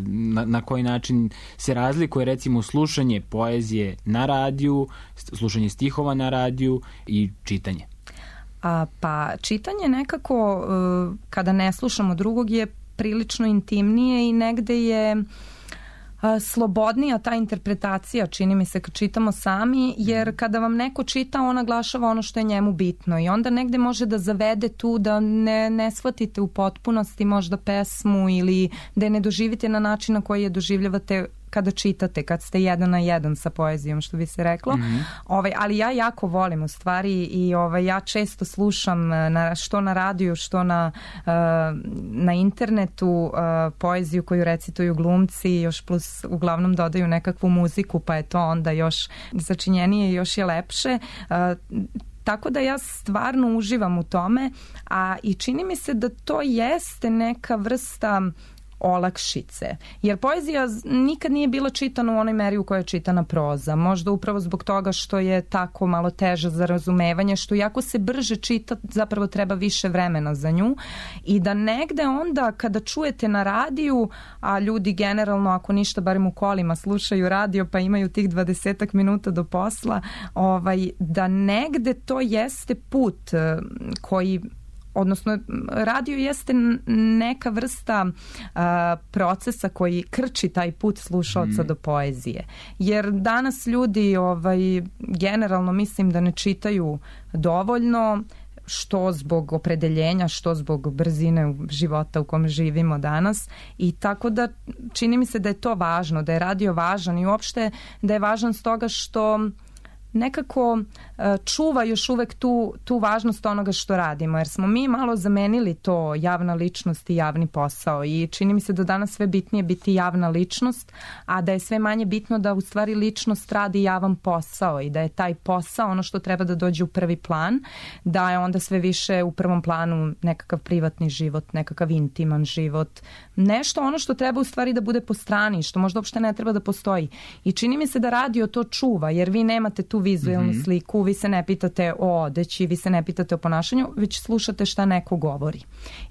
na, na koji način se razlikuje recimo slušanje poezije na radiju, slušanje stihova na radiju i čitanje? A, pa čitanje nekako, kada ne slušamo drugog, je prilično intimnije i negde je slobodnija ta interpretacija, čini mi se, kad čitamo sami, jer kada vam neko čita, on naglašava ono što je njemu bitno i onda negde može da zavede tu da ne, ne shvatite u potpunosti možda pesmu ili da je ne doživite na način na koji je doživljavate kada čitate, kad ste jedan na jedan sa poezijom, što bi se reklo. Mm-hmm. Ovaj, ali ja jako volim u stvari i ovaj, ja često slušam na, što na radiju, što na, uh, na internetu uh, poeziju koju recituju glumci, još plus uglavnom dodaju nekakvu muziku, pa je to onda još začinjenije i još je lepše. Uh, Tako da ja stvarno uživam u tome, a i čini mi se da to jeste neka vrsta olakšice. Jer poezija nikad nije bila čitana u onoj meri u kojoj je čitana proza. Možda upravo zbog toga što je tako malo teža za razumevanje, što jako se brže čita, zapravo treba više vremena za nju i da negde onda kada čujete na radiju, a ljudi generalno ako ništa barem u kolima slušaju radio pa imaju tih dvadesetak minuta do posla, ovaj, da negde to jeste put koji odnosno radio jeste neka vrsta uh, procesa koji krči taj put slušaoca mm. do poezije. Jer danas ljudi ovaj, generalno mislim da ne čitaju dovoljno, što zbog opredeljenja, što zbog brzine života u kom živimo danas i tako da čini mi se da je to važno, da je radio važan i uopšte da je važan stoga što nekako čuva još uvek tu, tu važnost onoga što radimo, jer smo mi malo zamenili to javna ličnost i javni posao i čini mi se da danas sve bitnije biti javna ličnost, a da je sve manje bitno da u stvari ličnost radi javan posao i da je taj posao ono što treba da dođe u prvi plan, da je onda sve više u prvom planu nekakav privatni život, nekakav intiman život, nešto ono što treba u stvari da bude po strani, što možda uopšte ne treba da postoji. I čini mi se da radio to čuva, jer vi nemate tu vizualnu mm-hmm. sliku, vi se ne pitate o odeći, vi se ne pitate o ponašanju, već slušate šta neko govori.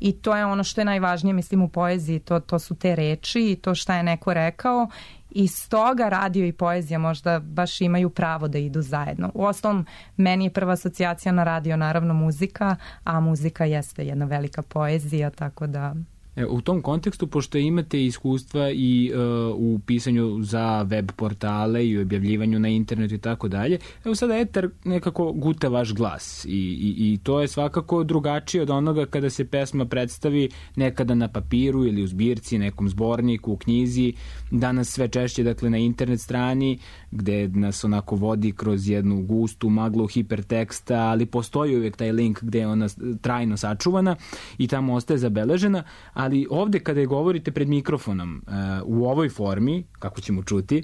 I to je ono što je najvažnije, mislim, u poeziji, to, to su te reči i to šta je neko rekao i stoga radio i poezija možda baš imaju pravo da idu zajedno. U ostalom, meni je prva asocijacija na radio naravno muzika, a muzika jeste jedna velika poezija, tako da... U tom kontekstu, pošto imate iskustva i uh, u pisanju za web portale i u objavljivanju na internetu i tako dalje, evo sada etar nekako guta vaš glas i, i, i to je svakako drugačije od onoga kada se pesma predstavi nekada na papiru ili u zbirci, nekom zborniku, u knjizi, danas sve češće dakle na internet strani gde nas onako vodi kroz jednu gustu maglu hiperteksta, ali postoji uvijek taj link gde je ona trajno sačuvana i tamo ostaje zabeležena, ali ovde kada je govorite pred mikrofonom uh, u ovoj formi, kako ćemo čuti,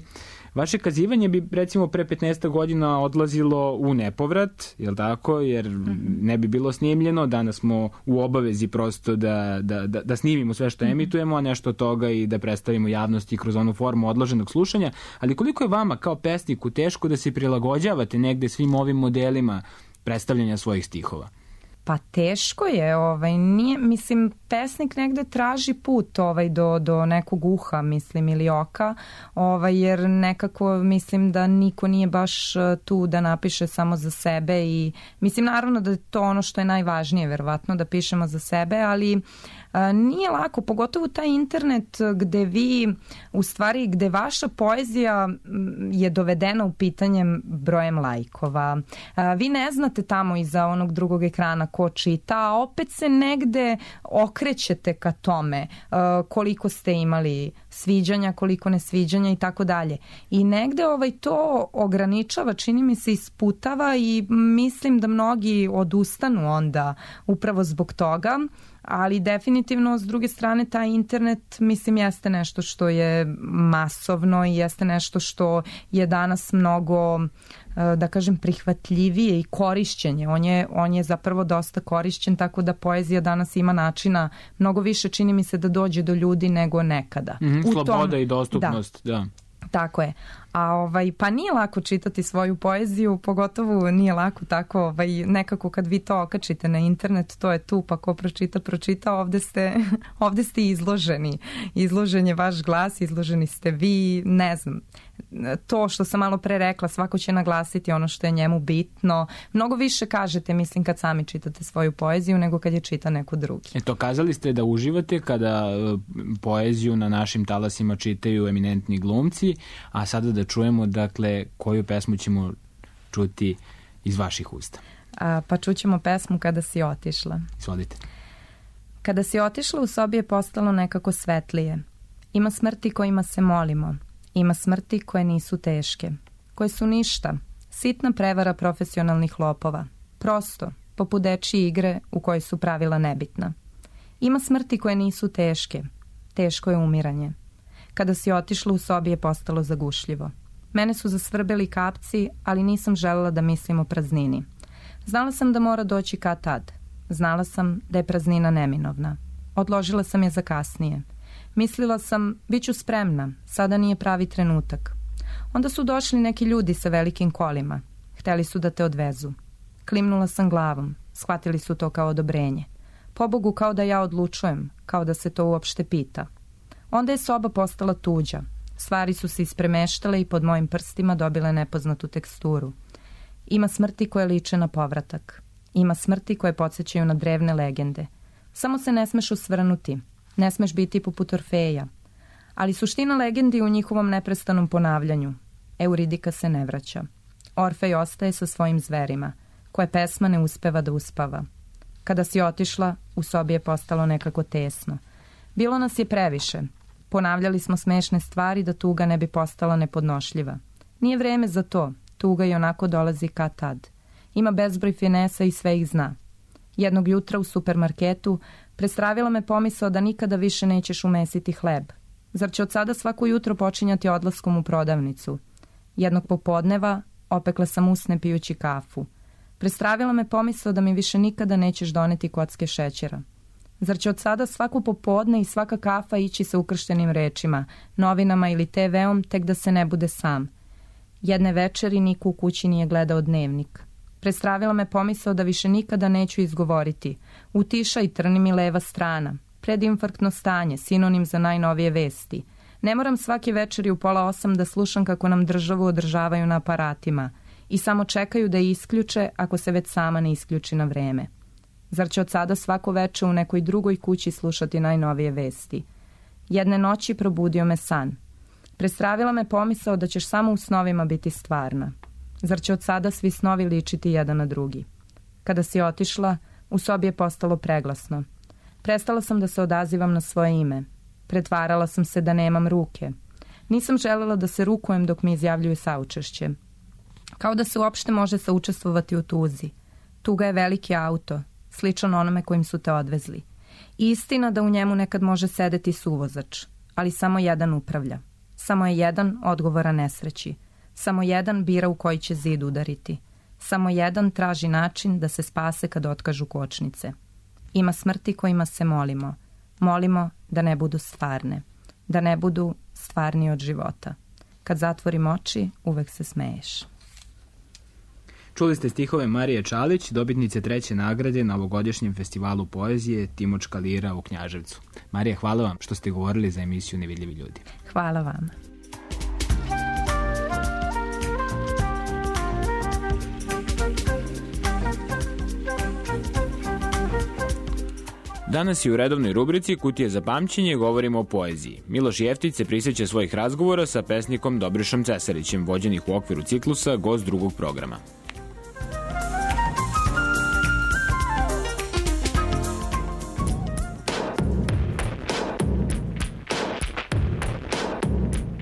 vaše kazivanje bi recimo pre petnaest godina odlazilo u nepovrat, jel tako, jer ne bi bilo snimljeno, danas smo u obavezi prosto da, da, da, da snimimo sve što emitujemo, a nešto od toga i da predstavimo javnosti kroz onu formu odloženog slušanja, ali koliko je vama kao pesniku teško da se prilagođavate negde svim ovim modelima predstavljanja svojih stihova? Pa teško je, ovaj, nije, mislim, pesnik negde traži put ovaj, do, do nekog uha, mislim, ili oka, ovaj, jer nekako mislim da niko nije baš tu da napiše samo za sebe i mislim naravno da je to ono što je najvažnije, verovatno, da pišemo za sebe, ali Nije lako, pogotovo taj internet gde vi, u stvari gde vaša poezija je dovedena u pitanjem brojem lajkova. Vi ne znate tamo iza onog drugog ekrana ko čita, a opet se negde okrećete ka tome koliko ste imali sviđanja, koliko nesviđanja i tako dalje. I negde ovaj to ograničava, čini mi se isputava i mislim da mnogi odustanu onda upravo zbog toga, ali definitivno s druge strane taj internet mislim jeste nešto što je masovno i jeste nešto što je danas mnogo, da kažem, prihvatljivije i korišćenje. On je, on je zapravo dosta korišćen, tako da poezija danas ima načina mnogo više, čini mi se, da dođe do ljudi nego nekada. Mm-hmm, sloboda tom, i dostupnost, da. da. Tako je. A ovaj, pa nije lako čitati svoju poeziju, pogotovo nije lako tako, ovaj, nekako kad vi to okačite na internet, to je tu, pa ko pročita, pročita, ovde ste, ovde ste izloženi. Izložen je vaš glas, izloženi ste vi, ne znam. To što sam malo pre rekla, svako će naglasiti ono što je njemu bitno. Mnogo više kažete, mislim, kad sami čitate svoju poeziju nego kad je čita neko drugi. Eto, kazali ste da uživate kada poeziju na našim talasima čitaju eminentni glumci, a sada da čujemo, dakle, koju pesmu ćemo čuti iz vaših usta. A, pa čućemo pesmu Kada si otišla. Izvolite. Kada si otišla, u sobi je postalo nekako svetlije. Ima smrti kojima se molimo. Ima smrti koje nisu teške, koje su ništa, sitna prevara profesionalnih lopova, prosto, poput dečije igre u kojoj su pravila nebitna. Ima smrti koje nisu teške, teško je umiranje. Kada si otišla, u sobi je postalo zagušljivo. Mene su zasvrbeli kapci, ali nisam želela da mislim o praznini. Znala sam da mora doći kad tad. Znala sam da je praznina neminovna. Odložila sam je za kasnije. Mislila sam, bit ću spremna, sada nije pravi trenutak. Onda su došli neki ljudi sa velikim kolima. Hteli su da te odvezu. Klimnula sam glavom, shvatili su to kao odobrenje. Pobogu, kao da ja odlučujem, kao da se to uopšte pita. Onda je soba postala tuđa. Stvari su se ispremeštale i pod mojim prstima dobile nepoznatu teksturu. Ima smrti koje liče na povratak. Ima smrti koje podsjećaju na drevne legende. Samo se ne smeš osvrnuti. Ne smeš biti poput Orfeja. Ali suština legendi u njihovom neprestanom ponavljanju. Euridika se ne vraća. Orfej ostaje sa svojim zverima, koje pesma ne uspeva da uspava. Kada si otišla, u sobi je postalo nekako tesno. Bilo nas je previše. Ponavljali smo smešne stvari da tuga ne bi postala nepodnošljiva. Nije vreme za to. Tuga i onako dolazi kad tad. Ima bezbroj finesa i sve ih zna. Jednog jutra u supermarketu prestravila me pomisao da nikada više nećeš umesiti hleb. Zar će od sada svako jutro počinjati odlaskom u prodavnicu? Jednog popodneva opekla sam usne pijući kafu. Prestravila me pomisao da mi više nikada nećeš doneti kocke šećera. Zar će od sada svaku popodne i svaka kafa ići sa ukrštenim rečima, novinama ili te veom, tek da se ne bude sam? Jedne večeri niko u kući nije gledao dnevnik. Prestravila me pomisao da više nikada neću izgovoriti. Utiša i trni mi leva strana. Predinfarktno stanje, sinonim za najnovije vesti. Ne moram svake večeri u pola osam da slušam kako nam državu održavaju na aparatima i samo čekaju da je isključe ako se već sama ne isključi na vreme. Zar će od sada svako veče u nekoj drugoj kući slušati najnovije vesti? Jedne noći probudio me san. Prestravila me pomisao da ćeš samo u snovima biti stvarna. Zar će od sada svi snovi ličiti jedan na drugi? Kada si otišla, u sobi je postalo preglasno. Prestala sam da se odazivam na svoje ime. Pretvarala sam se da nemam ruke. Nisam želela da se rukujem dok mi izjavljuju saučešće. Kao da se uopšte može saučestvovati u tuzi. Tuga je veliki auto, sličan onome kojim su te odvezli. I istina da u njemu nekad može sedeti suvozač, ali samo jedan upravlja. Samo je jedan odgovoran nesreći. Samo jedan bira u koji će zid udariti. Samo jedan traži način da se spase kad otkažu kočnice. Ima smrti kojima se molimo. Molimo da ne budu stvarne. Da ne budu stvarni od života. Kad zatvorim oči, uvek se smeješ. Čuli ste stihove Marije Čalić, dobitnice treće nagrade na ovogodišnjem festivalu poezije Timočka lira u Knjaževcu. Marija, hvala vam što ste govorili za emisiju Nevidljivi ljudi. Hvala vama. Danas je u redovnoj rubrici Kutije za pamćenje govorimo o poeziji. Miloš Jeftić se prisjeća svojih razgovora sa pesnikom Dobrišom Cesarićem, vođenih u okviru ciklusa Gost drugog programa.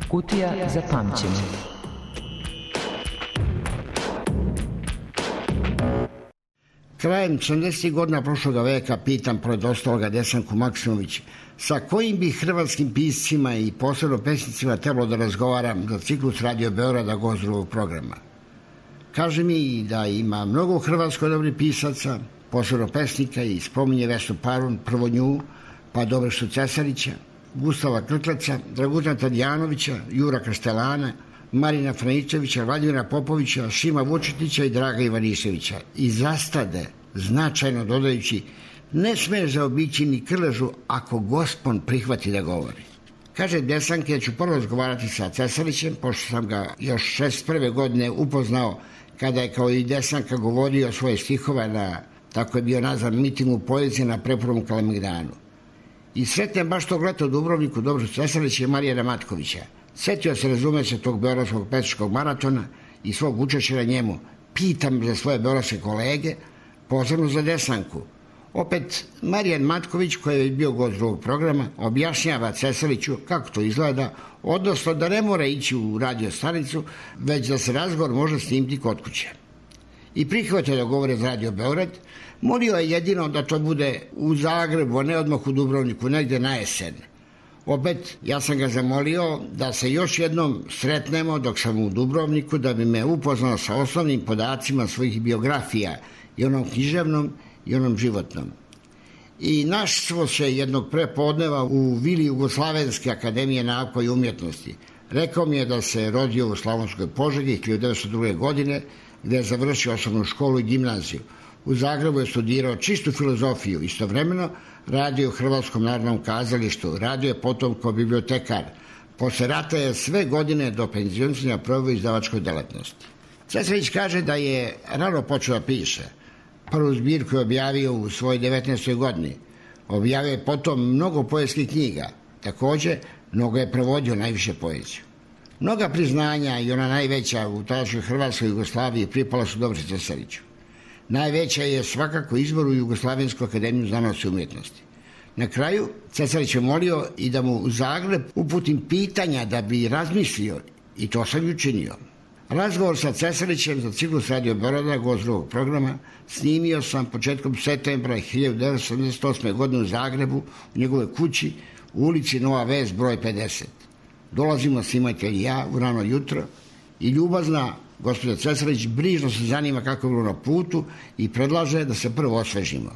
Kutija za pamćenje. Krajem sedamdesetih godina prošloga veka pitam pored ostaloga Desanku Maksimović sa kojim bi hrvatskim piscima i posebno pesnicima trebalo da razgovaram za ciklus Radio Beograda Gost drugog programa. Kaže mi da ima mnogo u Hrvatskoj dobrih pisaca, posebno pesnika, i spominje Vesnu Parun, prvo nju, pa Dobrišu Cesarića, Gustava Krkleca, Dragutana Tadijanovića, Jura Kastelana, Marina Franičevića, Vladimira Popovića, Šima Vučetića i Draga Ivaniševića. I zastade, značajno dodajući, ne smeš zaobići ni krležu ako gospon prihvati da govori. Kaže Desanke, ja ću prvo razgovarati sa Cesarićem, pošto sam ga još šezdeset prve godine upoznao kada je kao i Desanka govorio svoje stihove na, tako je bio nazvan, mitingu poezije na preprvom Kalemegdanu. I sretnem baš tog leta u Dubrovniku Dobrišu Cesarića i Marijana Matkovića. Setio se, razume se, tog beogradskog pesničkog maratona i svog učešća na njemu. Pitam za svoje beogradske kolege, posebno za Desanku. Opet, Marijan Matković, koji je bio gost drugog programa, objašnjava Cesariću kako to izgleda, odnosno da ne mora ići u radio stanicu, već da se razgovor može snimiti kod kuće. I prihvatio da govore za Radio Beograd, molio je jedino da to bude u Zagrebu, a ne odmah u Dubrovniku, negde na jesen. Opet, ja sam ga zamolio da se još jednom sretnemo dok sam u Dubrovniku, da bi me upoznao sa osnovnim podacima svojih biografija, i onom književnom i onom životnom. I našlo se jednog prepodneva u vili Jugoslavenske akademije nauka i umjetnosti. Rekao mi je da se rodio u Slavonskoj Požegi hiljadu devetsto druge. godine, gde je završio osnovnu školu i gimnaziju. U Zagrebu je studirao čistu filozofiju, istovremeno radio u Hrvatskom narodnom kazalištu, radio je potom kao bibliotekar. Posle rata je sve godine do penzionisanja proveo izdavačkoj delatnosti. Cesarić kaže da je rano počeo da piše. Prvu zbirku je objavio u svojoj devetnaestoj godini. Objavio je potom mnogo poetskih knjiga. Takođe, mnogo je prevodio, najviše poeziju. Mnoga priznanja, i ona najveća u tadašnjoj Hrvatskoj Jugoslaviji, pripala su Dobriši Cesariću. Najveća je svakako izbor u Jugoslavensku akademiju znanosti i umjetnosti. Na kraju, Cesarić je molio i da mu u Zagreb uputim pitanja da bi razmislio, i to sam i učinio. Razgovor sa Cesarićem za ciklus Radio Beograda, gost drugog programa, snimio sam početkom septembra hiljadu devetsto sedamdeset osme. godine u Zagrebu, u njegovoj kući, u ulici Nova Ves, broj pedeset. Dolazimo snimatelj i ja u rano jutro i ljubazna gospođa Cesarić brižno se zanima kako je bilo na putu i predlaže da se prvo osvežimo.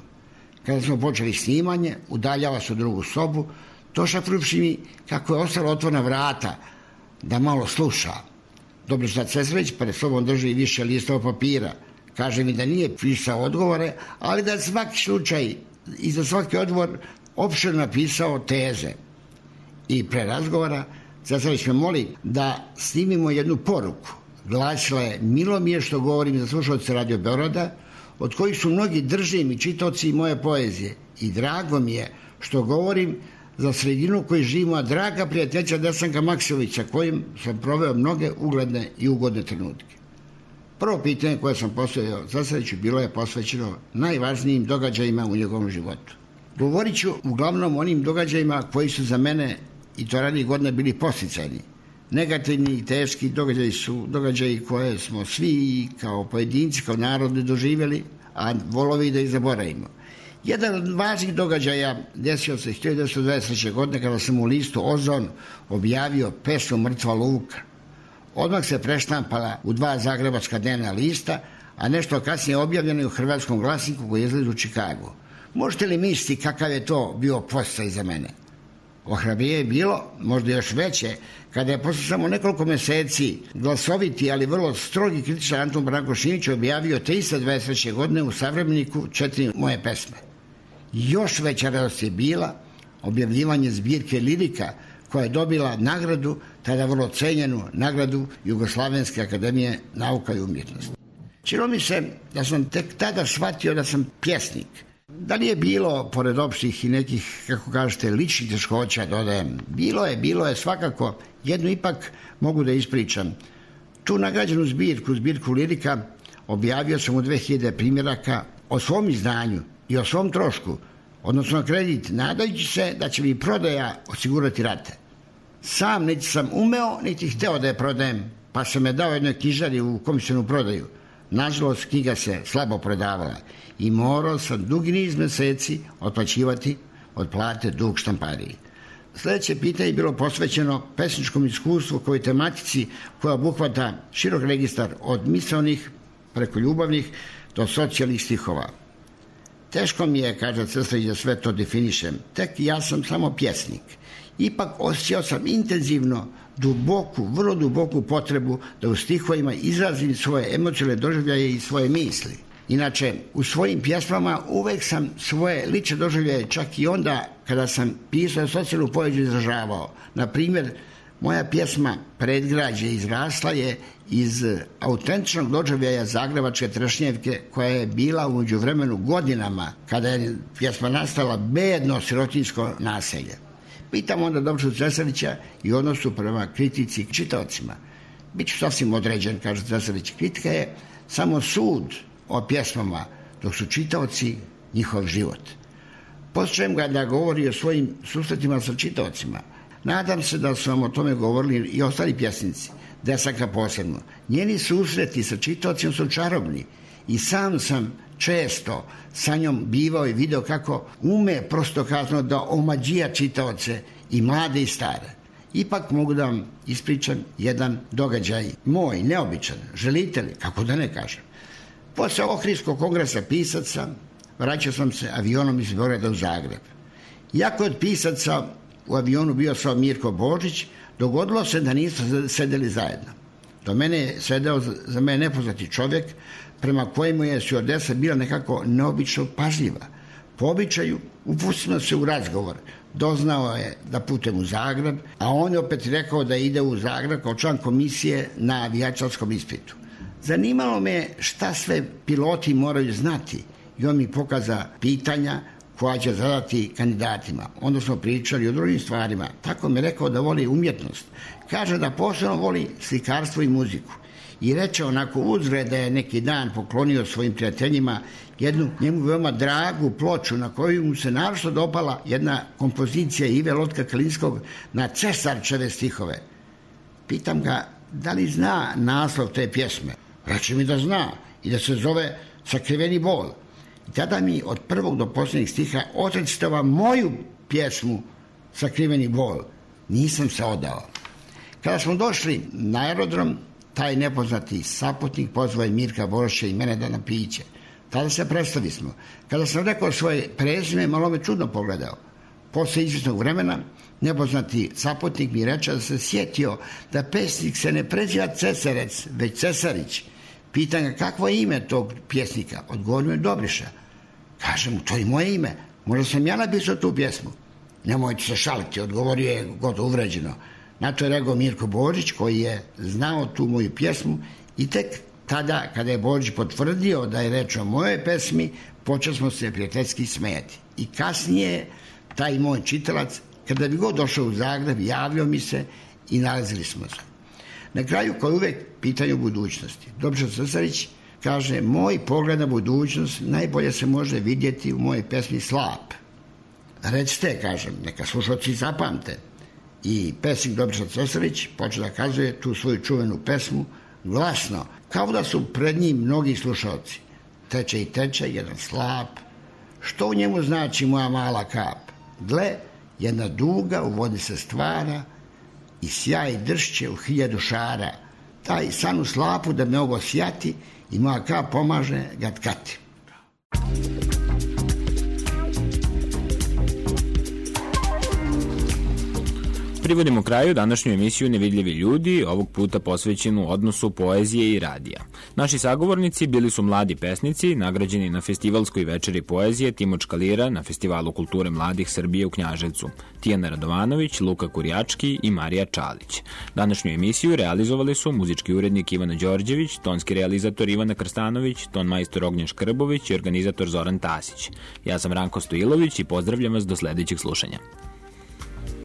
Kada smo počeli snimanje, udaljava se u drugu sobu, došapnuvši mi kako je ostala otvorena vrata da malo sluša. Dobriša Cesarić pred sobom drži više listova papira. Kaže mi da nije pisao odgovore, ali da je svaki slučaj i za svaki odgovor opširno napisao teze. I pre razgovora Cesarić me moli da snimimo jednu poruku. Glasila je: milo mi je što govorim za slušalce Radio Beograda, od kojih su mnogi držim i čitaoci moje poezije. I drago mi je što govorim za sredinu koju živimo, a draga prijateljica Desanka Maksimovića, kojim sam proveo mnoge ugledne i ugodne trenutke. Prvo pitanje koje sam postavio Cesariću bilo je posvećeno najvažnijim događajima u njegovom životu. Govorit ću uglavnom o onim događajima koji su za mene, i to ranije godine, bili posticajni. Negativni i teški događaji su događaji koje smo svi kao pojedinci, kao narodi doživjeli, a volovi da ih zaboravimo. Jedan od važnih događaja desio se hiljadu devetsto dvadeset treće. godine kada sam u listu Ozon objavio pesmu Mrtva Luka. Odmah se preštampala u dva zagrebačka dnevna lista, a nešto kasnije objavljeno je u Hrvatskom glasniku koji izlazi u Čikagu. Možete li misliti kakav je to bio podsticaj za mene? Ohrabrije je bilo, možda još veće, kada je posle samo nekoliko meseci glasoviti, ali vrlo strogi kritičar Anton Branko Šimić objavio te iste dvadeset treće. godine u Savremeniku četiri moje pesme. Još veća radost je bila objavljivanje zbirke lirika koja je dobila nagradu, tada vrlo cenjenu nagradu Jugoslavenske akademije nauka i umjetnosti. Čilo mi se da sam tek tada shvatio da sam pjesnik. Da li je bilo, pored opštih i nekih, kako kažete, ličnih teškoća, dodajem, bilo je, bilo je svakako, jednu ipak mogu da ispričam. Tu nagrađenu zbirku, zbirku lirika, objavio sam u dve hiljade primjeraka o svom izdanju i o svom trošku, odnosno kredit, nadajući se da će mi prodaja osigurati rate. Sam niti sam umeo, niti hteo da je prodajem, pa sam je dao jednoj knjižari u komisionu prodaju. Nažalost, knjiga se slabo prodavala i morao sam dugi niz meseci otplaćivati od plate dug štampariji. Sljedeće pitanje je bilo posvećeno pesničkom iskustvu koji tematici koja obuhvata širok registar od misaonih preko ljubavnih do socijalnih stihova. Teško mi je, kaže Crstović, da sve to definišem. Tek ja sam samo pjesnik. Ipak osjećao sam intenzivno, duboku, vrlo duboku potrebu da u stihovima izrazim svoje emocionalne doživljaje i svoje misli. Inače, u svojim pjesmama uvek sam svoje lične doživljaje čak i onda kada sam pisao socijalnu poeziju izražavao. Na primjer, moja pjesma Predgrađe izrasla je iz autentičnog doživljaja zagrebačke trešnjevke koja je bila u međuvremenu godinama kada je pjesma nastala bedno sirotinjsko naselje. Pitam onda Dobrišu Cesarića i odnosu prema kritici i čitaocima. Biću sasvim određen, kaže Cesarić. Kritika je samo sud o pjesmama, dok su čitaoci njihov život. Poslušajem ga da govori o svojim susretima sa čitaocima. Nadam se da su vam o tome govorili i ostali pjesnici, Desanka posebno. Njeni susreti sa čitaocima su čarobni i sam sam često sa njom bivao i video kako ume prosto kazano da omađija čitaoce i mlade i stare. Ipak mogu da vam ispričam jedan događaj moj, neobičan, želite li, kako da ne kažem. Posle Ohridskog kongresa pisaca vraćao sam se avionom iz Beograda u Zagreb. Iako od pisaca u avionu bio samo Mirko Božić, dogodilo se da nisu sedeli zajedno. Do mene je sedeo za mene nepoznati čovjek prema kojemu je stjuardesa bila nekako neobično pažljiva. Po običaju upustimo se u razgovor. Doznao je da putem u Zagreb, a on je opet rekao da ide u Zagreb kao član komisije na avijačarskom ispitu. Zanimalo me šta sve piloti moraju znati i on mi pokaza pitanja koja će zadati kandidatima. Onda smo pričali o drugim stvarima. Tako mi je rekao da voli umjetnost. Kaže da posebno voli slikarstvo i muziku. I reče onako uzgred da je neki dan poklonio svojim prijateljima jednu njemu veoma dragu ploču na koju mu se naročito dopala jedna kompozicija Ive Lotka Kalinskog na Cesarčeve stihove. Pitam ga da li zna naslov te pjesme. Reče mi da zna i da se zove Sakriveni bol. I tada mi od prvog do posljednjeg stiha odrecitava moju pjesmu Sakriveni bol. Nisam se odao. Kada smo došli na aerodrom, taj nepoznati saputnik pozvao je Mirka Boroša i mene da na piće. Tada se predstavi smo. Kada sam rekao svoje prezime, malo me čudno pogledao. Posle izvjesnog vremena, nepoznati saputnik mi reče da se sjetio da pesnik se ne preziva Cesarec, već Cesarić. Pitan ga kakvo je ime tog pjesnika. Odgovorio je Dobriša. Kažem mu, to je moje ime. Možda sam ja napisao tu pjesmu. Nemojte se šaliti, odgovorio je gotovo uvređeno. Na to je rekao Mirko Božić koji je znao tu moju pjesmu i tek tada kada je Božić potvrdio da je reč o mojoj pesmi, počeli smo se prijateljski smijati. I kasnije taj moj čitalac, kada bi god došao u Zagreb, javljao mi se i nalazili smo se. Na kraju, kao uvek, pitanje o budućnosti. Dobriša Cesarić kaže, moj pogled na budućnost najbolje se može vidjeti u mojoj pesmi Slap. Recite, kažem, neka slušalci zapamte. I pesnik Dobriša Cesarić počeo da kazuje tu svoju čuvenu pesmu glasno, kao da su pred njim mnogi slušalci. Teče i teče, jedan slap. Što u njemu znači moja mala kap? Gle, jedna duga u vodi se stvara i sjaj dršće u hiljadu šara. Taj san u slapu da me ovo sjati i moja kap pomaže ga tkati. privodimo kraju današnju emisiju Nevidljivi ljudi, ovog puta posvećenu odnosu poezije i radija. Naši sagovornici bili su mladi pesnici, nagrađeni na festivalskoj večeri poezije Timočka lira na Festivalu kulture mladih Srbije u Knjaževcu, Tijana Radovanović, Luka Kurjački i Marija Čalić. Današnju emisiju realizovali su muzički urednik Ivana Đorđević, tonski realizator Ivana Krstanović, ton majstor Ognjen Škrbović i organizator Zoran Tasić. Ja sam Ranko Stojilović i pozdravljam vas do sledećeg slušanja.